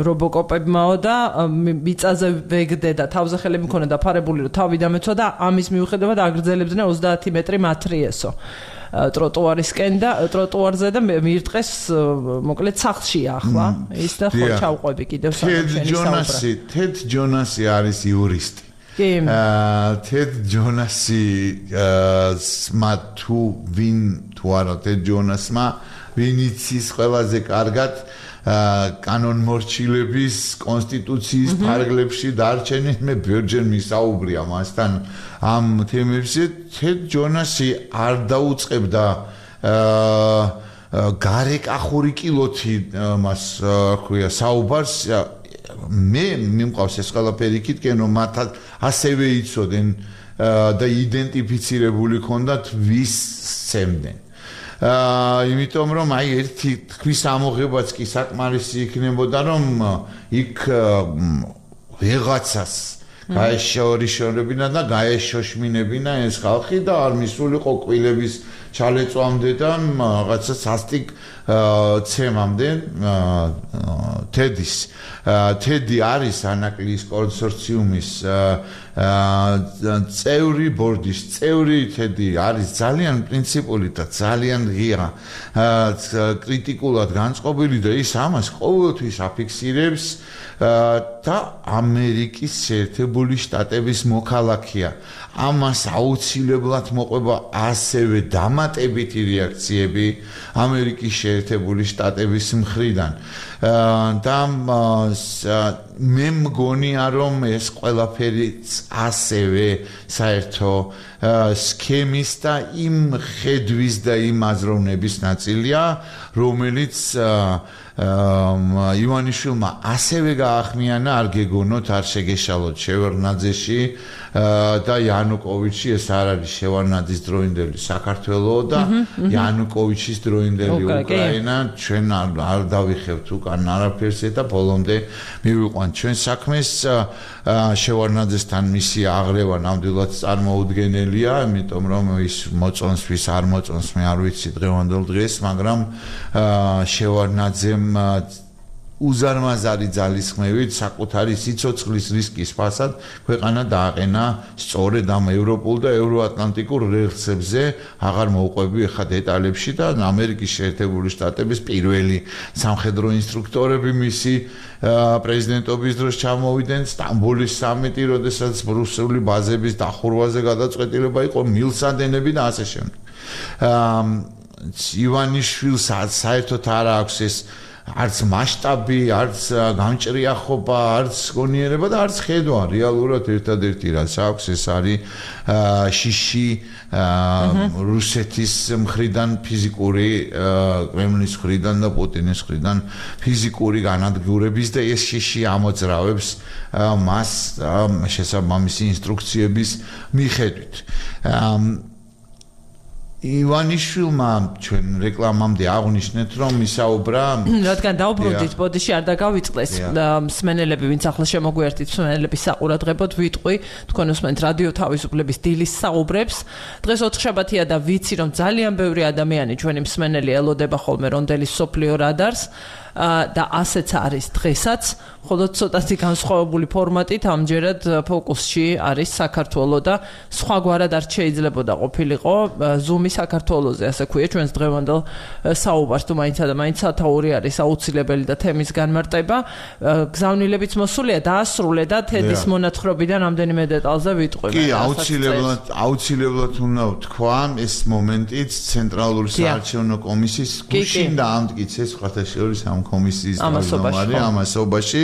რობოკოპებმაო და მიწაზე ვეგდე და თავზე ხელი მქონდა დაფარებული რომ თავი დამეცვა და ამის მიუხედავად აგრძელებდნენ 30 მეტრი მათრიესო ტროტუარისკენ და ტროტუარზე და მიირტყეს მოკლედ სახლშია ახლა ის და ხო ჩავყვები კიდევ თედ ჯონასი არის იურისტი თედ ჯონასი სმათუ ვინ თუ არა თედ ჯონასმა ვინ იცის ყველაზე კარგად კანონმორჩილების კონსტიტუციის ფარგლებში დარჩენის მე ბერჯერ მისაუბრია მასთან ამ თემებზე თედ ჯონასი არ დაუწყებდა გარეკახური კილოთი მას ქვია საუბარს მე მიმყავს ეს ყველაფერი იქითკენ რომ მათაც ასევე იცოდნენ და იდენტიფიცირებული ქონდათ ვის სცემდნენ იმიტომ რომ აი ერთი თქვის ამოღებაც კი საკმარისი იქნებოდა რომ იქ ვიღაცას გაეშორიშორებინა და გაეშოშმინებინა ეს ხალხი და არ მისულიყო კვილების ჩალეწვამდე და რაღაცა სასტიკ ცემამდე თედის თედი არის ანაკლიის კონსორციუმის წევრი ბორდის წევრი თედი არის ძალიან პრინციპული და ძალიან ღია კრიტიკულად განწყობილი და ის ამას ყოველთვის აფიქსირებს და ამერიკის შეერთებული შტატების მოქალაქეა ამას აუცილებლად მოყვება ასევე დამატებითი რეაქციები ამერიკის შეერთებული შტატების მხრიდან და მე მგონია რომ ეს ყველაფერი ასევე საერთო სქემის და იმ ხედვის და იმ აზროვნების ნაწილია რომელიც ივანიშვილმა ასევე გაახმიანა არ გეგონოთ არ შეგეშალოთ შევარდნაძეში და იანუკოვიჩი ეს არ არის შევარდნაძის დროინდელი საქართველო და იანუკოვიჩის დროინდელი უკრაინა ჩვენ არ დავიხევთ უკან არაფერს და ბოლომდე მივიყვანთ ჩვენ საქმეს შევარდნაძესთან მისი აღრევა ნამდვილად წარმოუდგენელია იმიტომ რომ ის მოწონს ვის არ მოწონს მე არ ვიცი დღევანდელ დღეს მაგრამ შევარდნაძემ უზარმაზარი ძალისხმევით საკუთარი სიცოცხლის რისკის ფასად ქვეყანა დააყენა სწორედ ამ ევროპულ და ევროატლანტიკურ რელსებზე აღარ მოუყვები ახლა დეტალებში და ამერიკის შეერთებული შტატების პირველი სამხედრო ინსტრუქტორები მისი პრეზიდენტობის დროს ჩამოვიდნენ სტამბოლის სამიტი როდესაც რუსული ბაზების დახურვაზე გადაწყვეტილება იყო მილსადენები და ასე შემდეგ ივანიშვილს საერთოდ არ აქვს ეს არც მასშტაბი, არც გამჭრიახობა, არც გონიერება და არც ხედვა. რეალურად ერთადერთი რაც აქვს ეს არის შიში რუსეთის მხრიდან ფიზიკური კრემლის მხრიდან და პუტინის მხრიდან ფიზიკური განადგურების და ეს შიში ამოძრავებს მას შესაბამისი ინსტრუქციების მიხედვით. ივანიშვილმა ჩვენ რეკლამამდე აღნიშნეთ რომ ისაუბრა რადგან დაუბრუნდით ბოდიში არ დაგავიწყდეს მსმენელები ვინც ახლა შემოგვიერთით მსმენელების საყურადღებოდ ვიტყვი თქვენ უსმენთ რადიო თავისუფლების დილის საუბრებს დღეს ოთხშაბათია და ვიცი რომ ძალიან ბევრი ადამიანი ჩვენი მსმენელი ელოდება ხოლმე რონდელის სოფლიო რადარს და ასეც არის დღესაც ხოლო ცოტათი განსხვავებული ფორმატით ამჯერად ფოკუსში არის საქართველო და სხვაგვარად არ შეიძლებოდა ყოფილიყო ზუმი საქართველოზე ასე ქვია ჩვენს დღევანდელ საუბარს თუ მაინცა და მაინც სათაური არის აუცილებელი და თემის განმარტება გზავნილებიც მოსულია დაასრულე და თედის მონათხრობიდან რამდენიმე დეტალზე ვიტყვი კი აუცილებლად უნდა ვთქვა ეს მომენტიც ცენტრალური საარჩევნო კომისიის გუშინ და ამტკიცეს სხვათა შორის ამ კომისიის ამასობაში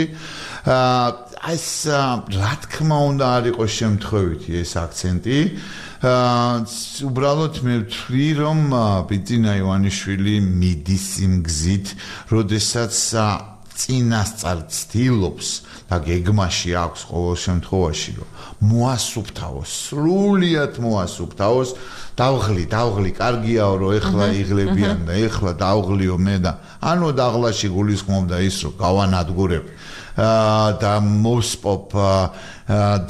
ეს რა თქმა უნდა არ იყოს შემთხვევითი ეს აქცენტი უბრალოდ მე ვთვლი რომ ბიძინა ივანიშვილი მიდის იმ გზით როდესაც წინასწარ ცდილობს და გეგმაში აქვს ყოველ შემთხვევაში რომ მოასუფთავოს სრულიად მოასუფთავოს დავღლი კარგიაო რომ ეხლა იღლებიან და ეხლა დავღლიო მე და ანუ დაღლაში გულისხმობდა ის რომ გავანადგურებ და მოსპობ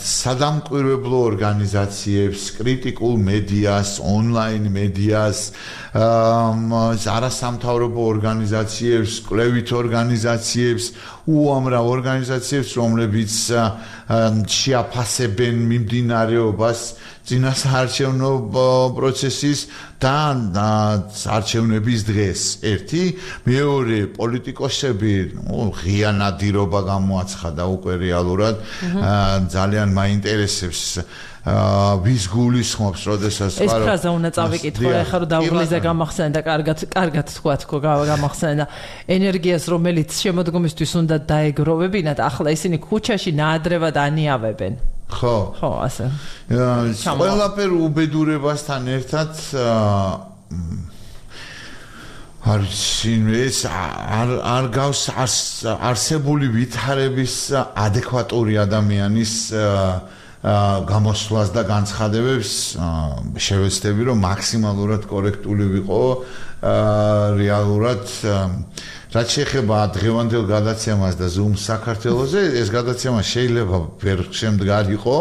სადამკვირვებლო ორგანიზაციებს, კრიტიკულ მედიას, ონლაინ მედიას, არასამთავრობო ორგანიზაციებს, კვლევით ორგანიზაციებს, უამრავ ორგანიზაციებს, რომლებიც შეაფასებენ მიმდინარეობას წინასაარჩევნო პროცესის და არჩევნების დღეს. ერთი, მეორე პოლიტიკოსები, ღია ნადირობა გამოაცხადა უკვე რეალურად, ძალიან მაინტერესებს ვის გულისხმობს, როდესაც ეს ფრაზა უნდა წავიკითხო, ეხლა რომ დაუღლიზე გამახსენე და კარგად თქვა გამახსენე და ენერგიას რომელიც შემოდგომისთვის უნდა დაეგროვებინათ, ახლა ისინი ქუჩაში ნაადრევად ანიავებენ. ხო, ასე. ყველაფერ უბედურებასთან ერთად არ გავს არსებული ვითარების ადეკვატური ადამიანის გამოსვლას და განცხადებებს შევეცდები რომ მაქსიმალურად კორექტული ვიყო რეალურად რაც შეეხება დღევანდელ გადაცემას და Zoom საქართველოზე ეს გადაცემა შეიძლება ვერ შემდგარიყო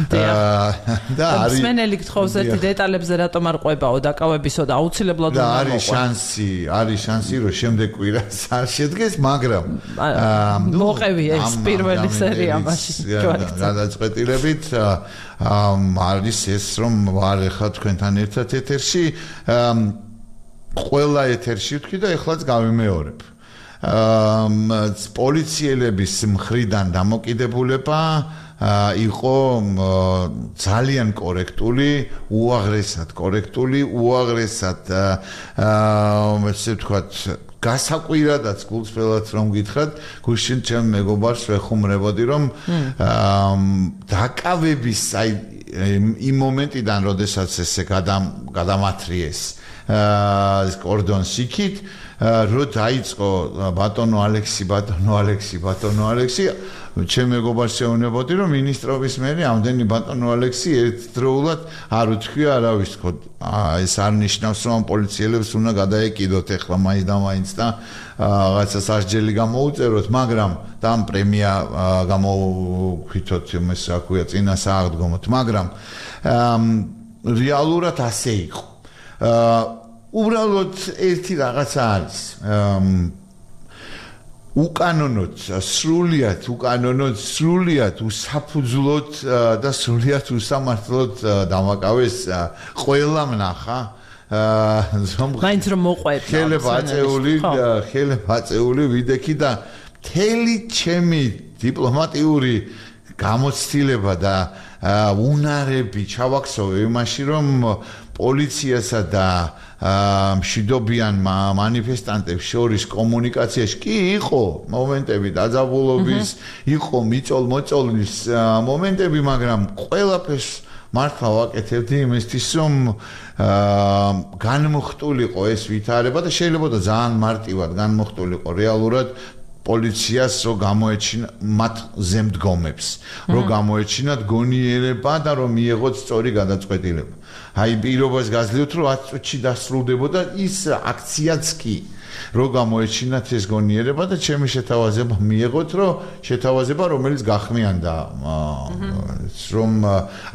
და არის მსმენელი გთხოვს ერთი დეტალებზე რატომ არ ყვებაო დაკავებისო და აუცილებლად უნდა არის შანსი რომ შემდეგ კვირას არ შედგეს მაგრამ მოყევი ეს პირველი სერია მაშინ გადაწყვეტილებით არის ეს რომ ვარ ახლა თქვენთან ერთად ეთერში ყველა ეთერში ვთქვი და ეხლაც გავიმეორებ პოლიციელების მხრიდან დამოკიდებულება იყო ძალიან კორექტული, უაღრესად კორექტული, უაღრესად ესე ვთქვათ გასაკვირადაც გულწრფელად რომ გითხრათ, გუშინ ჩემ მეგობარს ვეხუმრებოდი რომ დაკავების იმ მომენტიდან, როდესაც ესე გადამათრიეს კორდონს იქით რო დაიწყო ბატონო ალექსი ჩემ მეგობარს შეუნებოდი რომ მინისტრობის მერი ამდენი ბატონო ალექსი ერთდროულად არ უთქვია არავის თქო ეს არ ნიშნავს რომ პოლიციელებს უნდა გადაეკიდოთ ეხლა მაინც და მაინც და რაღაცა სასჯელი გამოუწეროთ მაგრამ და ამ პრემია გამოვქვითოთ იმას რა ქვია წინასააღდგომოთ მაგრამ რეალურად ასე იყო უბრალოდ ერთი რაღაცა არის უკანონოდ სრულიად უსაფუძვლოდ და სრულიად უსამართლოდ დამაკავეს ყველამ ნახა მაინც რომ მოყვეთ ხელებაწეული ვიდექი და მთელი ჩემი დიპლომატიური გამოცდილება და უნარები ჩავაქსოვე იმაში რომ პოლიციასა და მშვიდობიან მანიფესტანტებს შორის კომუნიკაციაში კი იყო მომენტები დაძაბულობის, იყო მიწოლ-მოწოლის მომენტები, მაგრამ ყველაფერს მართლა ვაკეთებდი იმისთვის, რომ განმოხტულიყო ეს ვითარება და შეიძლება და ძალიან მარტივად განმოხტულიყო რეალურად პოლიციას რო გამოეჩინა მათ ზემდგომებს, რო გამოეჩინათ გონიერება და რომ მიიღოთ სწორი გადაწყვეტილება. აი პირობას გაძლევთ, რომ 10 წუთში დასრულდებოდა ის აქციაც კი, რო გამოეჩინათ ეს გონიერება და ჩემი შეთავაზება მიიღოთ, რომ შეთავაზება რომელიც გახმიანდა, რომ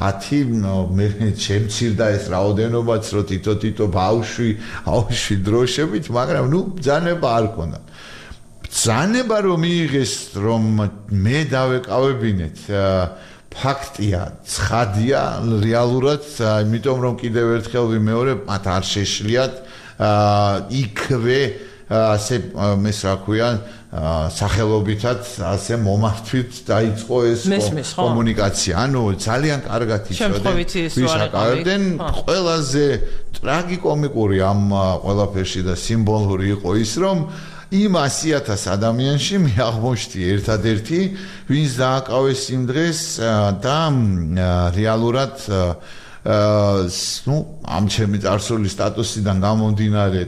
10 მე შემცირდა ეს რაოდენობაც, რომ თითო ბავშვი დროშებით, მაგრამ ნუ ბრძანება არ ქონდა. ბრძანება რომ მიიღეს, რომ მე დავეკავებინეთ ფაქტია, ცხადია, რეალურად, იმიტომ რომ კიდევ ერთხელ ვიმეორებ, მათ არ შეშლიათ იქვე ასე მეს რა ქვია, სახელობითად ასე მომართვით დაიწყო ეს კომუნიკაცია. ანუ ძალიან კარგად იცოდნენ, ვისაკავებდნენ, ყველაზე ტრაგიკომიკური ამ ყველაფერში და სიმბოლური იყო ის, რომ იმ 100,000 ადამიანში მე აღმოჩნდი ერთადერთი, ვინც დააკავეს იმ დღეს და რეალურად ამ ჩემი წარსულის სტატუსიდან გამომდინარე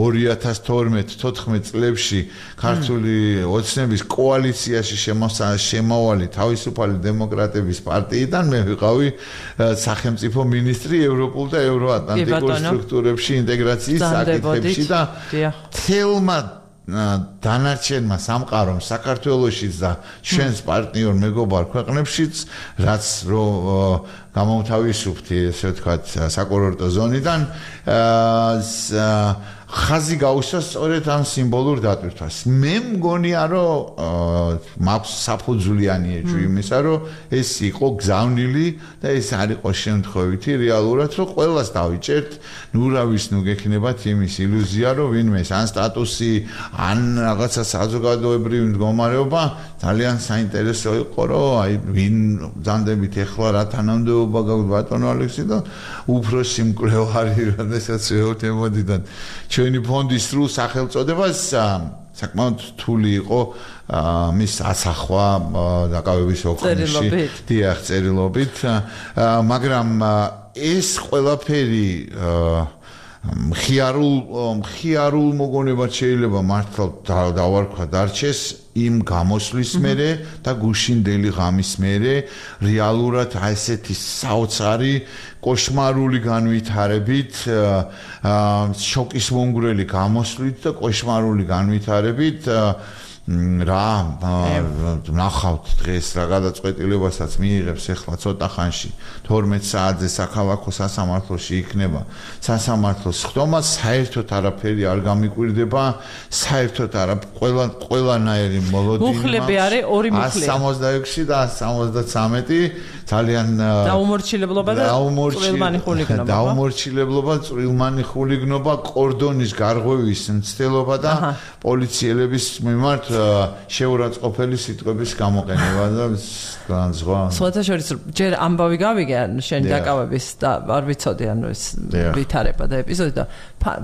2012-14 წლებში ქართული ოცნების კოალიციაში შემავალი თავისუფალი დემოკრატების პარტიიდან მე ვიყავი სახელმწიფო მინისტრი ევროპულ და ევროატლანტიკურ სტრუქტურებში ინტეგრაციის საკითხებში და თელმა დანარჩენმა სამყარომ საქართველოშიც და ჩვენს პარტნიორ მეგობარ ქვეყნებშიც რაც რო გამოვთავისუფლდი ესე ვთქვათ საკურორტო ზონიდან ხაზი გაუსვა სწორედ ამ სიმბოლურ დატვირთვას. მე მგონია რომ მაქვს საფუძვლიანი ეჭვი იმისა რომ ეს იყო გზავნილი და ეს არ იყო შემთხვევითი რეალურად რომ ყველას დავიჭერთ ნურავის ნუ გექნებათ იმის ილუზია რომ ვინმე ან სტატუსი ან რაღაცა საზოგადოებრივი მდგომარეობა ძალიან საინტერესო იყო რომ აი ვინ ბრძანდებით ეხლა რა თანამდებობა გაქვს ბატონო ალექსი და უფროსი მკვლევარი როდესაც ეუთემოდიდან ჩვენი ფონდის სრულ სახელწოდებას საკმაოდ რთული იყო მის ასახვა დაკავების ოქროში დიახ წერილობით მაგრამ ეს ყველაფერი მხიარულ მოგონებად შეიძლება მართლა დავარქვა დარჩეს იმ გამოსვლის მერე და გუშინდელი ღამის მერე რეალურად ესეთი საოცარი კოშმარული განვითარებით შოკის მომგვრელი გამოსვლით და კოშმარული განვითარებით რა ნახავთ დღეს რა გადაწყვეტილებასაც მიიღებს ახლა ცოტა ხანში 12 საათზე საქალაქო სასამართლოში იქნება სასამართლოს ხდომა საერთოდ არაფერი არ გამიკვირდება საერთოდ არა ყველანაირი მოლოდინი მუხლები არის ორი მუხლი 166 და 173 ძალიან დაუმორჩილებლობა და წვრილმანი ხულიგნობა დაუმორჩილებლობა წვრილმანი ხულიგნობა კორდონის გარღვევის მცდელობა და პოლიციელების მიმართ შეურაცხყოფელი სიტყვების გამოყენება და განზღვა. სხვათაშორის ჯერ ამბავი გავიგე შენ დაკავების და არ ვიცოდი ანუ ეს ვითარება და ეპიზოდი და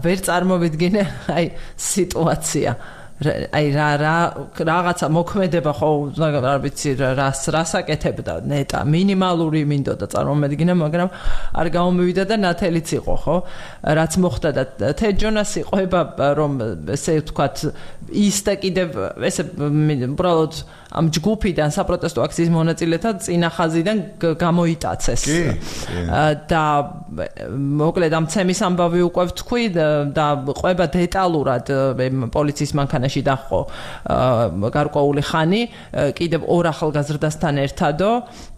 ვერ წარმოვიდგინე აი სიტუაცია აი რაღაცა მოქმედება ხო არ ვიცი რას აკეთებდა ნეტა მინიმალური მინდოდა წარმომედგინა მაგრამ არ გამომივიდა და ნათელიც იყო ხო რაც მოხდა და თეჯონას იყვება რომ ესე ვთქვათ ის და კიდევ ესე უბრალოდ ამ ჯგუფიდან საპროტესტო აქციის მონაწილეთა წინა ხაზიდან გამოიტაცეს და მოკლედ ამ ცემის ამბავი უკვე ვთქვი და ყვება დეტალურად პოლიციის მანქანაში დახო გარკვეული ხანი კიდევ ორ ახალგაზრდასთან ერთადო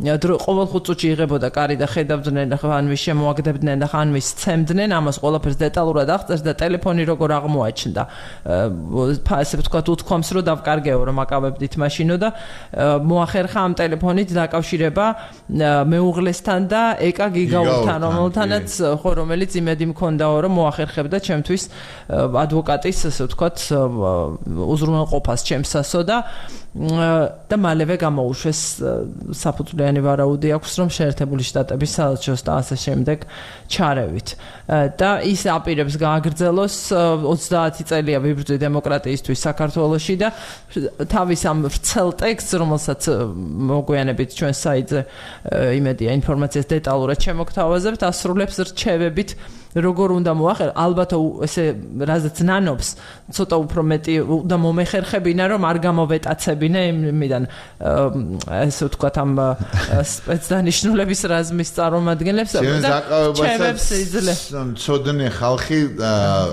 ყოველ 5 წუთში იღებოდა კარი და ხედავდნენ ხან ვის შემოაგდებდნენ და ხან ვის ცემდნენ ამას ყველაფერს დეტალურად აღწერს და ტელეფონი როგორ აღმოაჩნდა ასე ვთქვათ უთქვამს რომ დავკარგეო რომ აკავებდით მაშინო და მოახერხა ამ ტელეფონით დაკავშირება მეუღლესთან და ეკა გიგაურთან რომელთანაც ხო რომელიც იმედი მქონდაო რომ მოახერხებდა ჩემთვის ადვოკატის ასე ვთქვათ უზრუნველყოფას ჩემსასო და და მალევე გამოუშვეს საფუძვლიანი ვარაუდი აქვს რომ შეერთებული შტატების საელჩოს და ასე შემდეგ ჩარევით და ის აპირებს გააგრძელოს 30 წელია ვიბრძვი დემოკრატიისთვის საქართველოში და თავის ამ ვრცელ ტექსტს რომელსაც მოგვიანებით ჩვენ საიტზე იმედია ინფორმაციას დეტალურად შემოგთავაზებთ ასრულებს რჩევებით როგორ უნდა მოახერხო ალბათ ესე რაზეც ნანობს ცოტა უფრო მეტი და მომეხერხებინა რომ არ გამოვეტაცებინა იმიდან ესე ვთქვათ ამ სპეცდანიშნულების რაზმის წარმომადგენლებს და ჩევებს ცოდნე ხალხი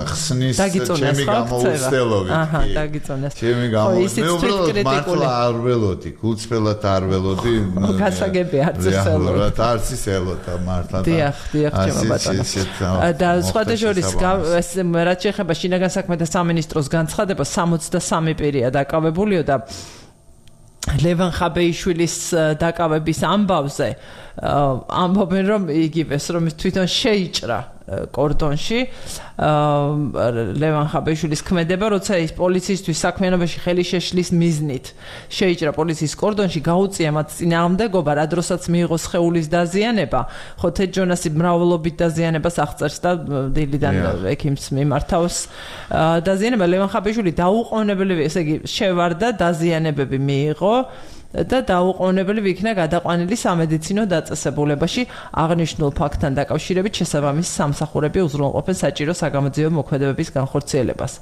ხსნის ჩემი გამოუცდელობით აჰა დაგიწონეს ჩემი გამოუცდელობით მართლა არ ველოდი გულწრფელად არ ველოდი გასაგები არც ელოდი არც ელოდა მართლა დიახ ჩემო ბატონო და სხვათა შორის რაც შეეხება შინაგან საქმეთა სამინისტროს განცხადებას 63 პირია დაკავებულიო და ლევან ხაბეიშვილის დაკავების ამბავზე ამბობენ რომ იგივეს რომ თვითონ შეიჭრა კორდონში ლევან ხაბეიშვილის ქმედება როცა ის პოლიციისთვის საქმიანობაში ხელი შეშლის მიზნით შეიჭრა პოლიციის კორდონში გაუწია მათ წინააღმდეგობა რა დროსაც მიიღო სხეულის დაზიანება ხო თედ ჯონასი მრავლობით დაზიანებას აღწერს და დილიდან ექიმს მიმართავს დაზიანება ლევან ხაბეიშვილი დაუყოვნებელი ესე იგი შევარდა დაზიანებები მიიღო და დაუყოვნებელი იქნა გადაყვანილი სამედიცინო დაწესებულებაში აღნიშნულ ფაქტთან დაკავშირებით შესაბამისი სამსახურები უზრუნველყოფენ საჭირო საგამოძიებო მოქმედებების განხორციელებას.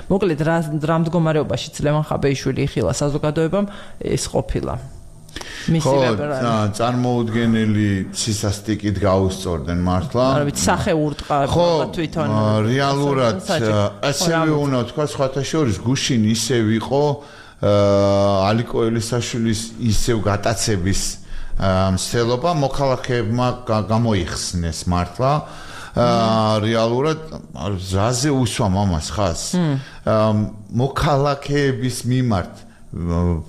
მოკლედ რა მდგომარეობაშიც ლევან ხაბეიშვილი იხილა საზოგადოებამ ეს ყოფილა. ხო, წარმოუდგენელი სისასტიკით გაუსწორდნენ მართლა. არა ვიცი სახეურტყა თვითონ რეალურად ასევე უნდა თქვა სხვათა შორის გუშინ ისევ იყო ალიკო ელისაშვილის ისევ გატაცების მსელობა მოქალაქეებმა გამოიხსნეს მართლა რეალურად რაზე უსვამ ამას ხას მოქალაქეების მიმართ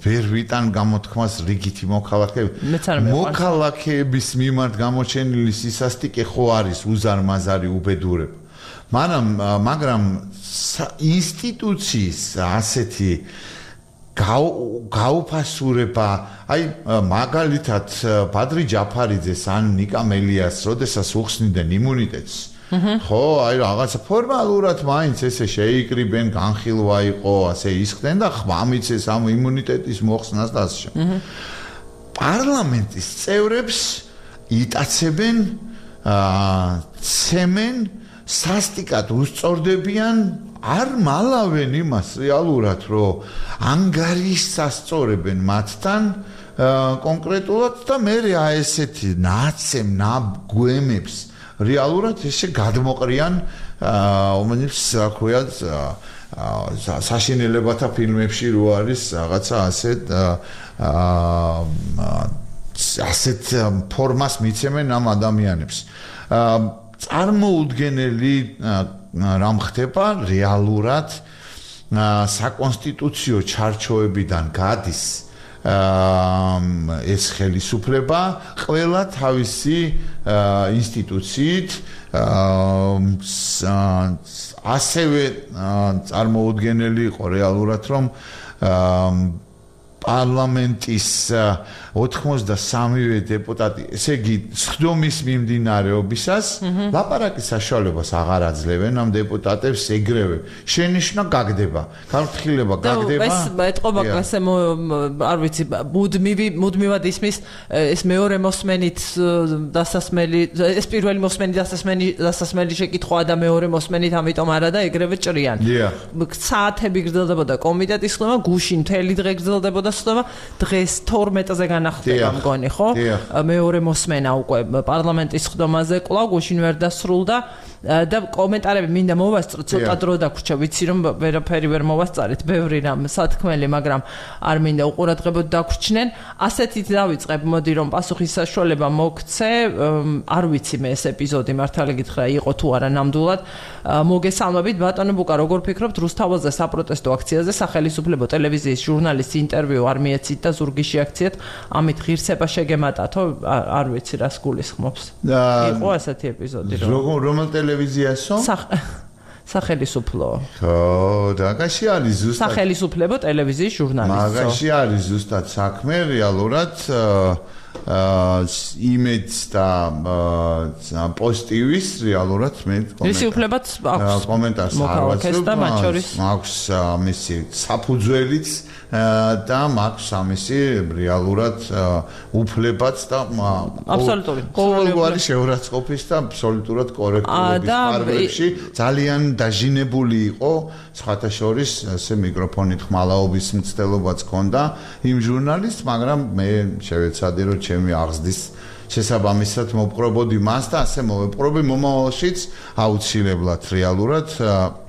ვერ ვიტან გამოთქმას რიგითი მოქალაქეების მიმართ გამოჩენილი სისასტიკე ხო არის უზარმაზარი უბედურება მაგრამ ინსტიტუციის ასეთი გაუფასურება აი მაგალითად ბადრი ჯაფარიძეს ან ნიკა მელიას როდესაც უხსნიდნენ იმუნიტეტს ხო აი რაღაცა ფორმალურად მაინც ესე შეიკრიბენ განხილვა იყო ასე ისხდნენ და ხმამიცეს ამ იმუნიტეტის მოხსნას და ასე პარლამენტის წევრებს იტაცებენ ცემენ სასტიკად უსწორდებიან არ მალავენ იმას რეალურად რომ ანგარიშსასწორებენ მათთან კონკრეტულად და მე აი ესეთი ნაცემ ნაბგვემებს რეალურად ესე გადმოყრიან ომენებს რა საშინელებათა ფილმებში რო არის რაღაცა ასეთ ფორმას მიცემენ ამ ადამიანებს წარმოუდგენელი რამ ხდება რეალურად საკონსტიტუციო ჩარჩოებიდან გადის ეს ხელისუფლება ყველა თავისი ინსტიტუციით ასევე წარმოუდგენელი იყო რეალურად რომ პარლამენტის 83-ვე დეპუტატი, ესე იგი, სხდომის მიმდინარეობისას ლაპარაკის საშუალებას აღარ აძლევენ ამ დეპუტატებს ეგრევე. შენიშვნა გაგდება, განხილება გაგდება. და ეს ეთყობა ასე არ ვიცი, მუდმივად ისმის ეს მეორე მოსმენით დასასმელი, ეს პირველი მოსმენით დასასმელი შეკითხვაა და მეორე მოსმენით ამიტომ არა და ეგრევე ჭრიან. საათები გრძელდებოდა კომიტეტის ხდომა, გუშინ მთელი დღე გრძელდებოდა ხდომა, დღეს 12-ზე განახდება მგონი, ხო? მეორე მოსმენა უკვე პარლამენტის ხდომაზე კვლავ გუშინ ვერ დასრულდა და კომენტარები მინდა მოვასწროთ, ცოტა დრო დაგვრჩა, ვიცი რომ ვერაფერი ვერ მოვასწარეთ, ბევრი რამ სათქმელი, მაგრამ არ მინდა უყურადღებოდ დაგვრჩნენ. ასეთით დავიწყებ, მოდი რომ პასუხის საშუალება მოგცე, არ ვიცი მე ეს ეპიზოდი მართალი გითხრა იყო თუ არა ნამდვილად. მოგესალმებით ბატონო ბუკა, როგორ ფიქრობთ რუსთაველზე საპროტესტო აქციაზე სახელმწიფო ტელევიზიის ჟურნალის ინტერვიუ არ მიეცით და ზურგიში აქციეთ, ამით ღირსება შეგემატათო, არ ვიცი რას გულისხმობს. იყო ასეთი ეპიზოდი რომ რომელ ტელევიზიასო? სახელისუფლო. ხო, და მაგაში არის ზუსტად სახელისუფლებო ტელევიზიის ჟურნალისტი. მაგაში არის ზუსტად საქმე რეალურად იმედს და პოზიტივის რეალურად მე ისიუფლებაც აქვს კომენტარს არ ვაცნობ მაქვს მისი საფუძველიც და მაქვს ამისი რეალურად უფლებაც და აბსოლუტური ყოველგვარი შეურაცხყოფის და აბსოლუტურად კორექტულობის ფარგლებში ძალიან დაჟინებული იყო სხვათა შორის ასე მიკროფონით ხმალაობის მცდელობაც ჰქონდა იმ ჟურნალისტს მაგრამ მე შევეცადე რომ ჩემი აღზრდის შესაბამისად მოპყრობოდი მას და ასე მოვეპყრობი მომავალშიც აუცილებლად რეალურად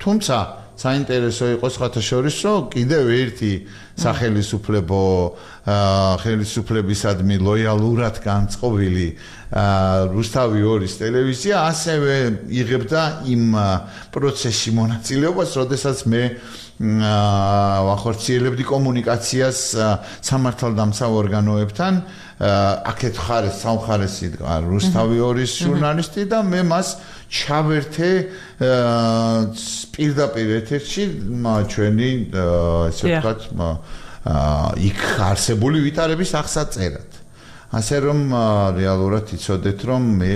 თუმცა საინტერესო იყო სხვათა შორის რომ კიდევ ერთი ხელისუფლებისადმი ლოიალურად განწყობილი რუსთავი 2-ის ტელევიზია ასევე იღებდა იმ პროცესში მონაწილეობას, როდესაც მე ვახორციელებდი კომუნიკაციას სამართალდამცავ ორგანოებთან აქეთ ხარეს სამხარესი რუსთავი 2-ის ჟურნალისტი და მე მას ჩავერთე პირდაპირ ეთერში ჩვენი ესე ვთქვათ იქ არსებული ვითარების აღსაწერად. ასე რომ რეალურად იცოდეთ რომ მე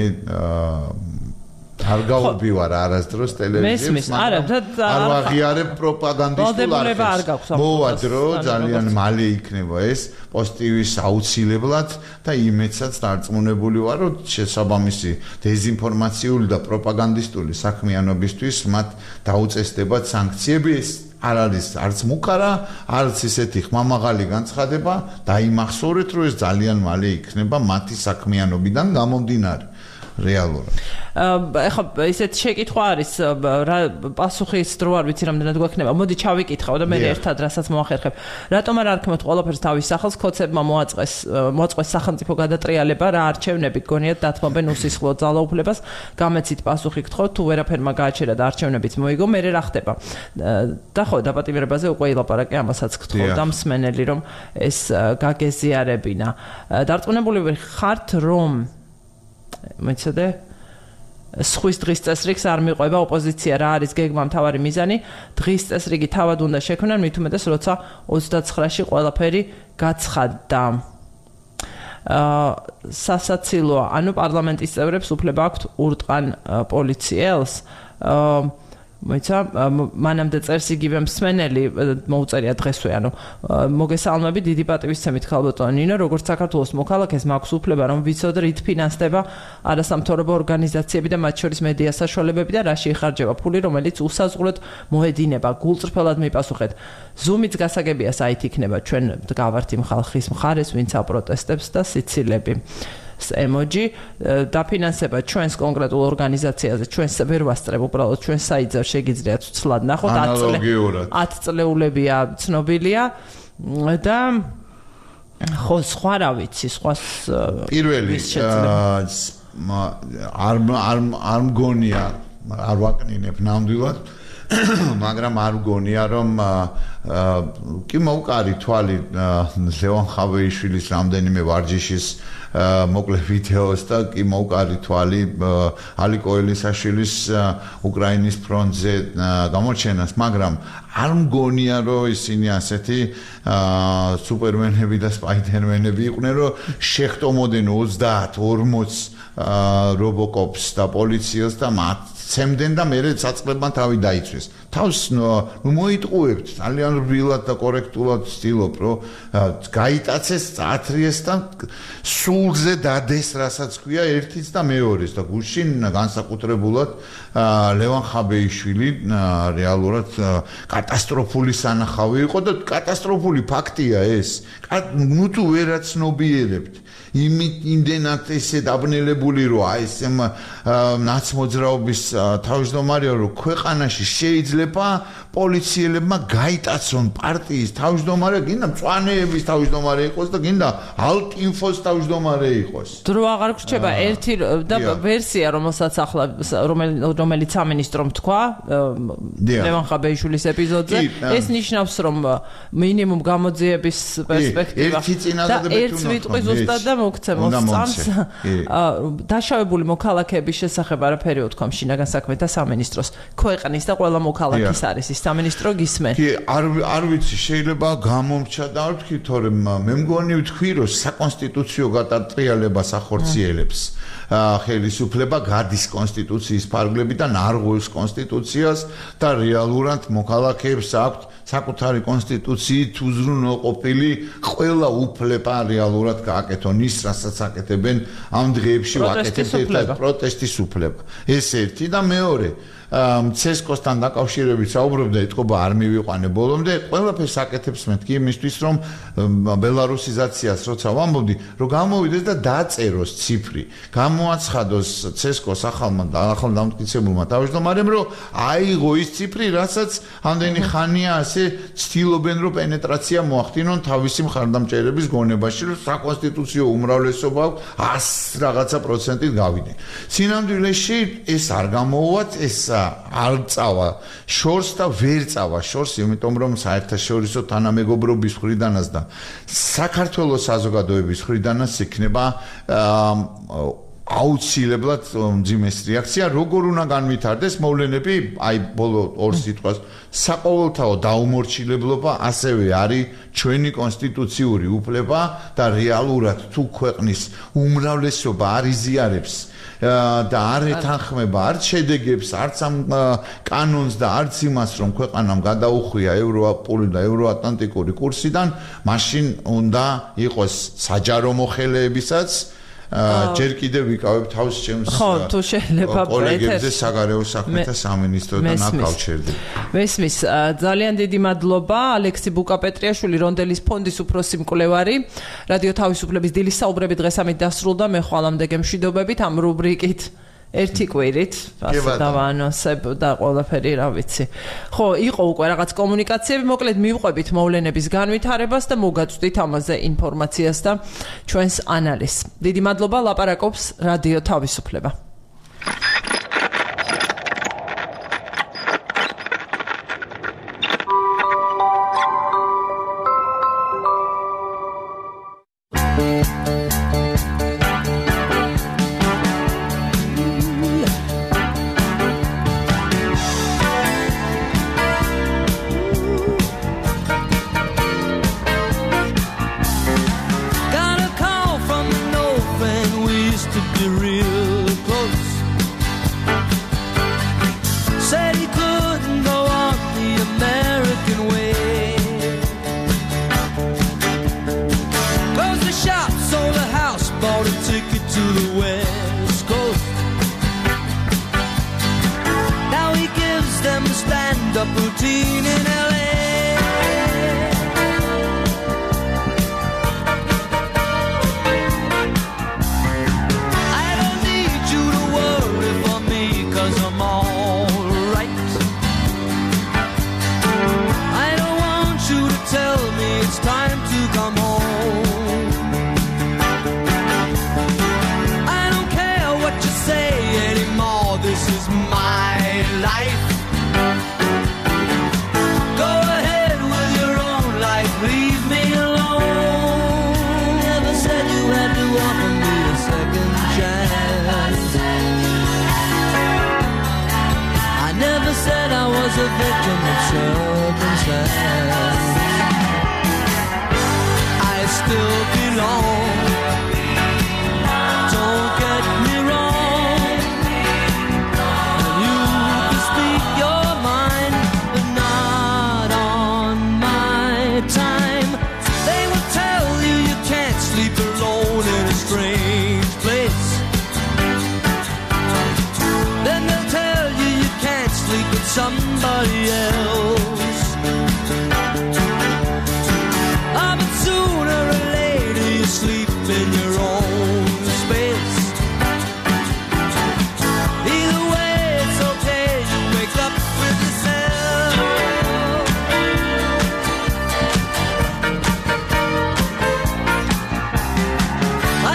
არ გავუბივარ არასდროს ტელევიზიებს, არ ვაღიარებ პროპაგანდისტულ არხებს. მოვადრო ძალიან მალე იქნება ეს პოზიტივის აუცილებლად და იმედსაც დარწმუნებული ვარ რომ შესაბამისი დეзинფორმაციული და პროპაგანდისტული საქმიანობისთვის მათ დაუწესდებათ სანქციები ეს არ არის არც მუქარა, არც ისეთი ხმამაღალი განცხადება და იმახსოვრეთ რომ ეს ძალიან მალე იქნება მათი საქმიანობიდან გამომდინარე. რეალურად. ეხლა ისეთ შეკითხვა არის, პასუხის დრო არ ვიცი რამდენად გვექნება. მოდი ჩავიკითხავ და მე ერთად რასაც მოახერხებ. რატომ არ არქმევთ ყველაფერს თავის სახელს, ქოცებმა მოაწყვეს სახელმწიფო გადატრიალება, რა არჩევნები გონიათ დათმობენ უსისხლო ძალაუფლებას, გამეცით პასუხი გთხოვთ, თუ ვერაფერმა გააჩერა და არჩევნებიც მოიგო, მე რა ხდება? და ხო, დაპატიმრებაზე უკვე ილაპარაკე, ამასაც გთხოვ და მსმენელი რომ ეს გაგეზიარებინა. დარწმუნებული ხართ რომ მეცადე სხვის დღის წესრიგს არ მიყვება ოპოზიცია რა არის გეგმა მთავარი მიზანი დღის წესრიგი თავად უნდა შექმნან მით უმეტეს როცა 29-ში ყველაფერი გაცხადდა სასაცილოა ანუ პარლამენტის წევრებს უფლება აქვთ ურტყან პოლიციელს მოიცა მანამდე წერს იგივე მსმენელი მოუწერია დღესვე ანუ მოგესალმები დიდი პატივისცემით ხალბატონო ნინო როგორც საქართველოს მოქალაქეს მაქვს უფლება რომ ვიცოდე რით ფინანსდება არასამთავრობო ორგანიზაციები და მათ შორის მედია საშუალებები და რაში იხარჯება ფული რომელიც უსაზღვროდ მოედინება გულწრფელად მიპასუხეთ ზუმიც გასაგებია საით იქნება ჩვენ გავართ იმ ხალხის მხარეს ვინც აპროტესტებს და სიცილები emoji დაფინანსება ჩვენს კონკრეტულ ორგანიზაციაზე ჩვენს ვერ ვასწრებ უბრალოდ ჩვენ საიძარ შეგიძლიათ ცვლად ნახოთ 10 წლეულებია ცნობილია და ხო სხვა რა ვიცი სხვას პირველი არ მგონია არ ვაკნინებ ნამდვილად მაგრამ არ მგონია რომ კი მოვკარი თვალი ლევან ხავეიშვილის რამდენიმე ვარჯიშის მოკლე ვიდეოს და კი მოვკარი თვალი ალიკო ელისაშვილის უკრაინის ფრონტზე გამოჩენას მაგრამ არ მგონია რომ ისინი ასეთი სუპერმენები და სპაიდერმენები იყვნენ რომ შეხვდომოდნენ 30-40 რობოკოპს და პოლიციელს და მათ ცემდნენ და მე საწყლებმა თავი დაიცვეს. თავს მოიტყუებთ ძალიან რბილად და კორექტულად ვცდილობ რომ გაიტაცეს, წათრიეს და სულზე დადეს რასაც ქვია ერთიც და მეორეს და გუშინ განსაკუთრებულად ლევან ხაბეიშვილი რეალურად კატასტროფული სანახავი იყო და კატასტროფული ფაქტია ეს. ნუ თუ ვერაცნობიერებთ იმდენად ესე დაბნელებული რომ აი ეს ნაცმოძრაობის თავმჯდომარეა რომ ქვეყანაში შეიძლება პოლიციელებმა გაიტაცონ პარტიის თავმჯდომარე გინდა მწვანეების თავმჯდომარე იყოს და გინდა ალტინფოს თავმჯდომარე იყოს დრო აღარ გრჩება ერთი და ვერსია რომელსაც ახლა რომელიც სამინისტრომ თქვა ლევან ხაბეიშვილის ეპიზოდზე ეს ნიშნავს რომ მინიმუმ გამოძიების პერსპექტივა ერთი წინადადებითი და ერთ ვიტყვი ზუსტად და მოგცემ წამს დაშავებული მოქალაქეების შესახებ არაფერი უთქვამ შინაგან საქმეთა სამინისტროს ქვეყნის და ყველა მოქალაქის არის ის სამინისტრო გისმენ კი არ ვიცი შეიძლება გამომრჩა და არ ვთქვი თორემ მე მგონი ვთქვი რომ საკონსტიტუციო გადატრიალებას ახორციელებს ხელისუფლება გადის კონსტიტუციის ფარგლებიდან არ ღვევს კონსტიტუციას და რეალურად მოქალაქეებს აქვთ საკუთარი კონსტიტუციით უზრუნველყოფილი ყველა უფლება რეალურად გააკეთონ ის რასაც აკეთებენ ამ დღეებში ვაკეთებთ პროტესტის უფლება ეს ერთი და მეორე ცესკოსთან დაკავშირებით საუბრობდა ეთქობა არ მივიყვანე ბოლომდე ყველაფერს აკეთებს მეთქი იმისთვის რომ ბელარუსიზაციას როცა ვამბობდი რომ გამოვიდეს და დაწეროს ციფრი გამოაცხადოს ცესკოს ახალ დამტკიცებულმა თავმჯდომარემ რომ აიღო ის ციფრი რასაც ამდენი ხანია ასე ცდილობენ რომ პენეტრაცია მოახდინონ თავისი მხარდამჭერების გონებაში რომ საკონსტიტუციო უმრავლესობა 100 რაღაცა პროცენტით გავიდნენ სინამდვილეში ეს არ გამოვათ ეს არ წავა შორს და ვერ წავა შორს იმიტომ რომ საერთაშორისო თანამეგობრობის მხრიდანაც და საქართველოს საზოგადოების მხრიდანაც იქნება აუცილებლად მძიმეს რეაქცია როგორ უნდა განვითარდეს მოვლენები აი ბოლო ორ სიტყვას საყოველთაო დაუმორჩილებლობა ასევე არის ჩვენი კონსტიტუციური უფლება და რეალურად თუ ქვეყნის უმრავლესობა არ იზიარებს და არ ეთანხმება არც შედეგებს, არც ამ კანონს და არც იმას, რომ ქვეყანამ გადაუხვია ევროპული და ევროატლანტიკური კურსიდან, მაშინ უნდა იყოს საჯარო მოხელეებისაც ჯერ კიდევ ვიკავებ თავს ჩემს თუ შეიძლება კოლეგებზე საგარეო საქმეთა სამინისტროდან აკავშირდი. მესმის ძალიან დიდი მადლობა ალექსი ბუკაპეტრიაშვილი რონდელის ფონდის უფროსი მკვლევარი რადიო თავისუფლების დილის საუბრები დღეს ამით დასრულდა მე ხვალამდე გემშვიდობებით ამ რუბრიკით ერთი კვირით ასე დავაანონსებ და ყველაფერი რა ვიცი. ხო, იყო უკვე რაღაც კომუნიკაციები, მოკლედ მივყვებით მოვლენების განვითარებას და მოგაწვდით ამაზე ინფორმაციას და ჩვენს ანალიზს. დიდი მადლობა ლაპარაკობს რადიო თავისუფლება. Somebody else. But sooner or later you sleep in your own space. Either way it's okay, you wake up with yourself.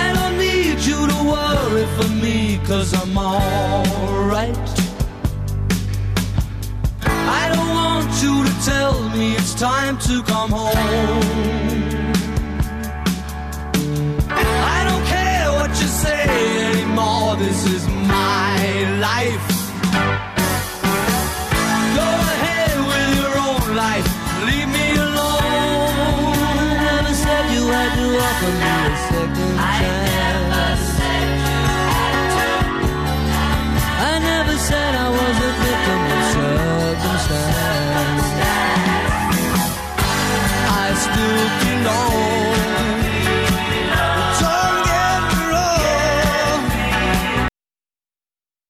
I don't need you to worry for me, 'cause I'm alright. You to tell me it's time to come home. I don't is my life. Go ahead with your own life. Leave me alone. Never said you had to offer me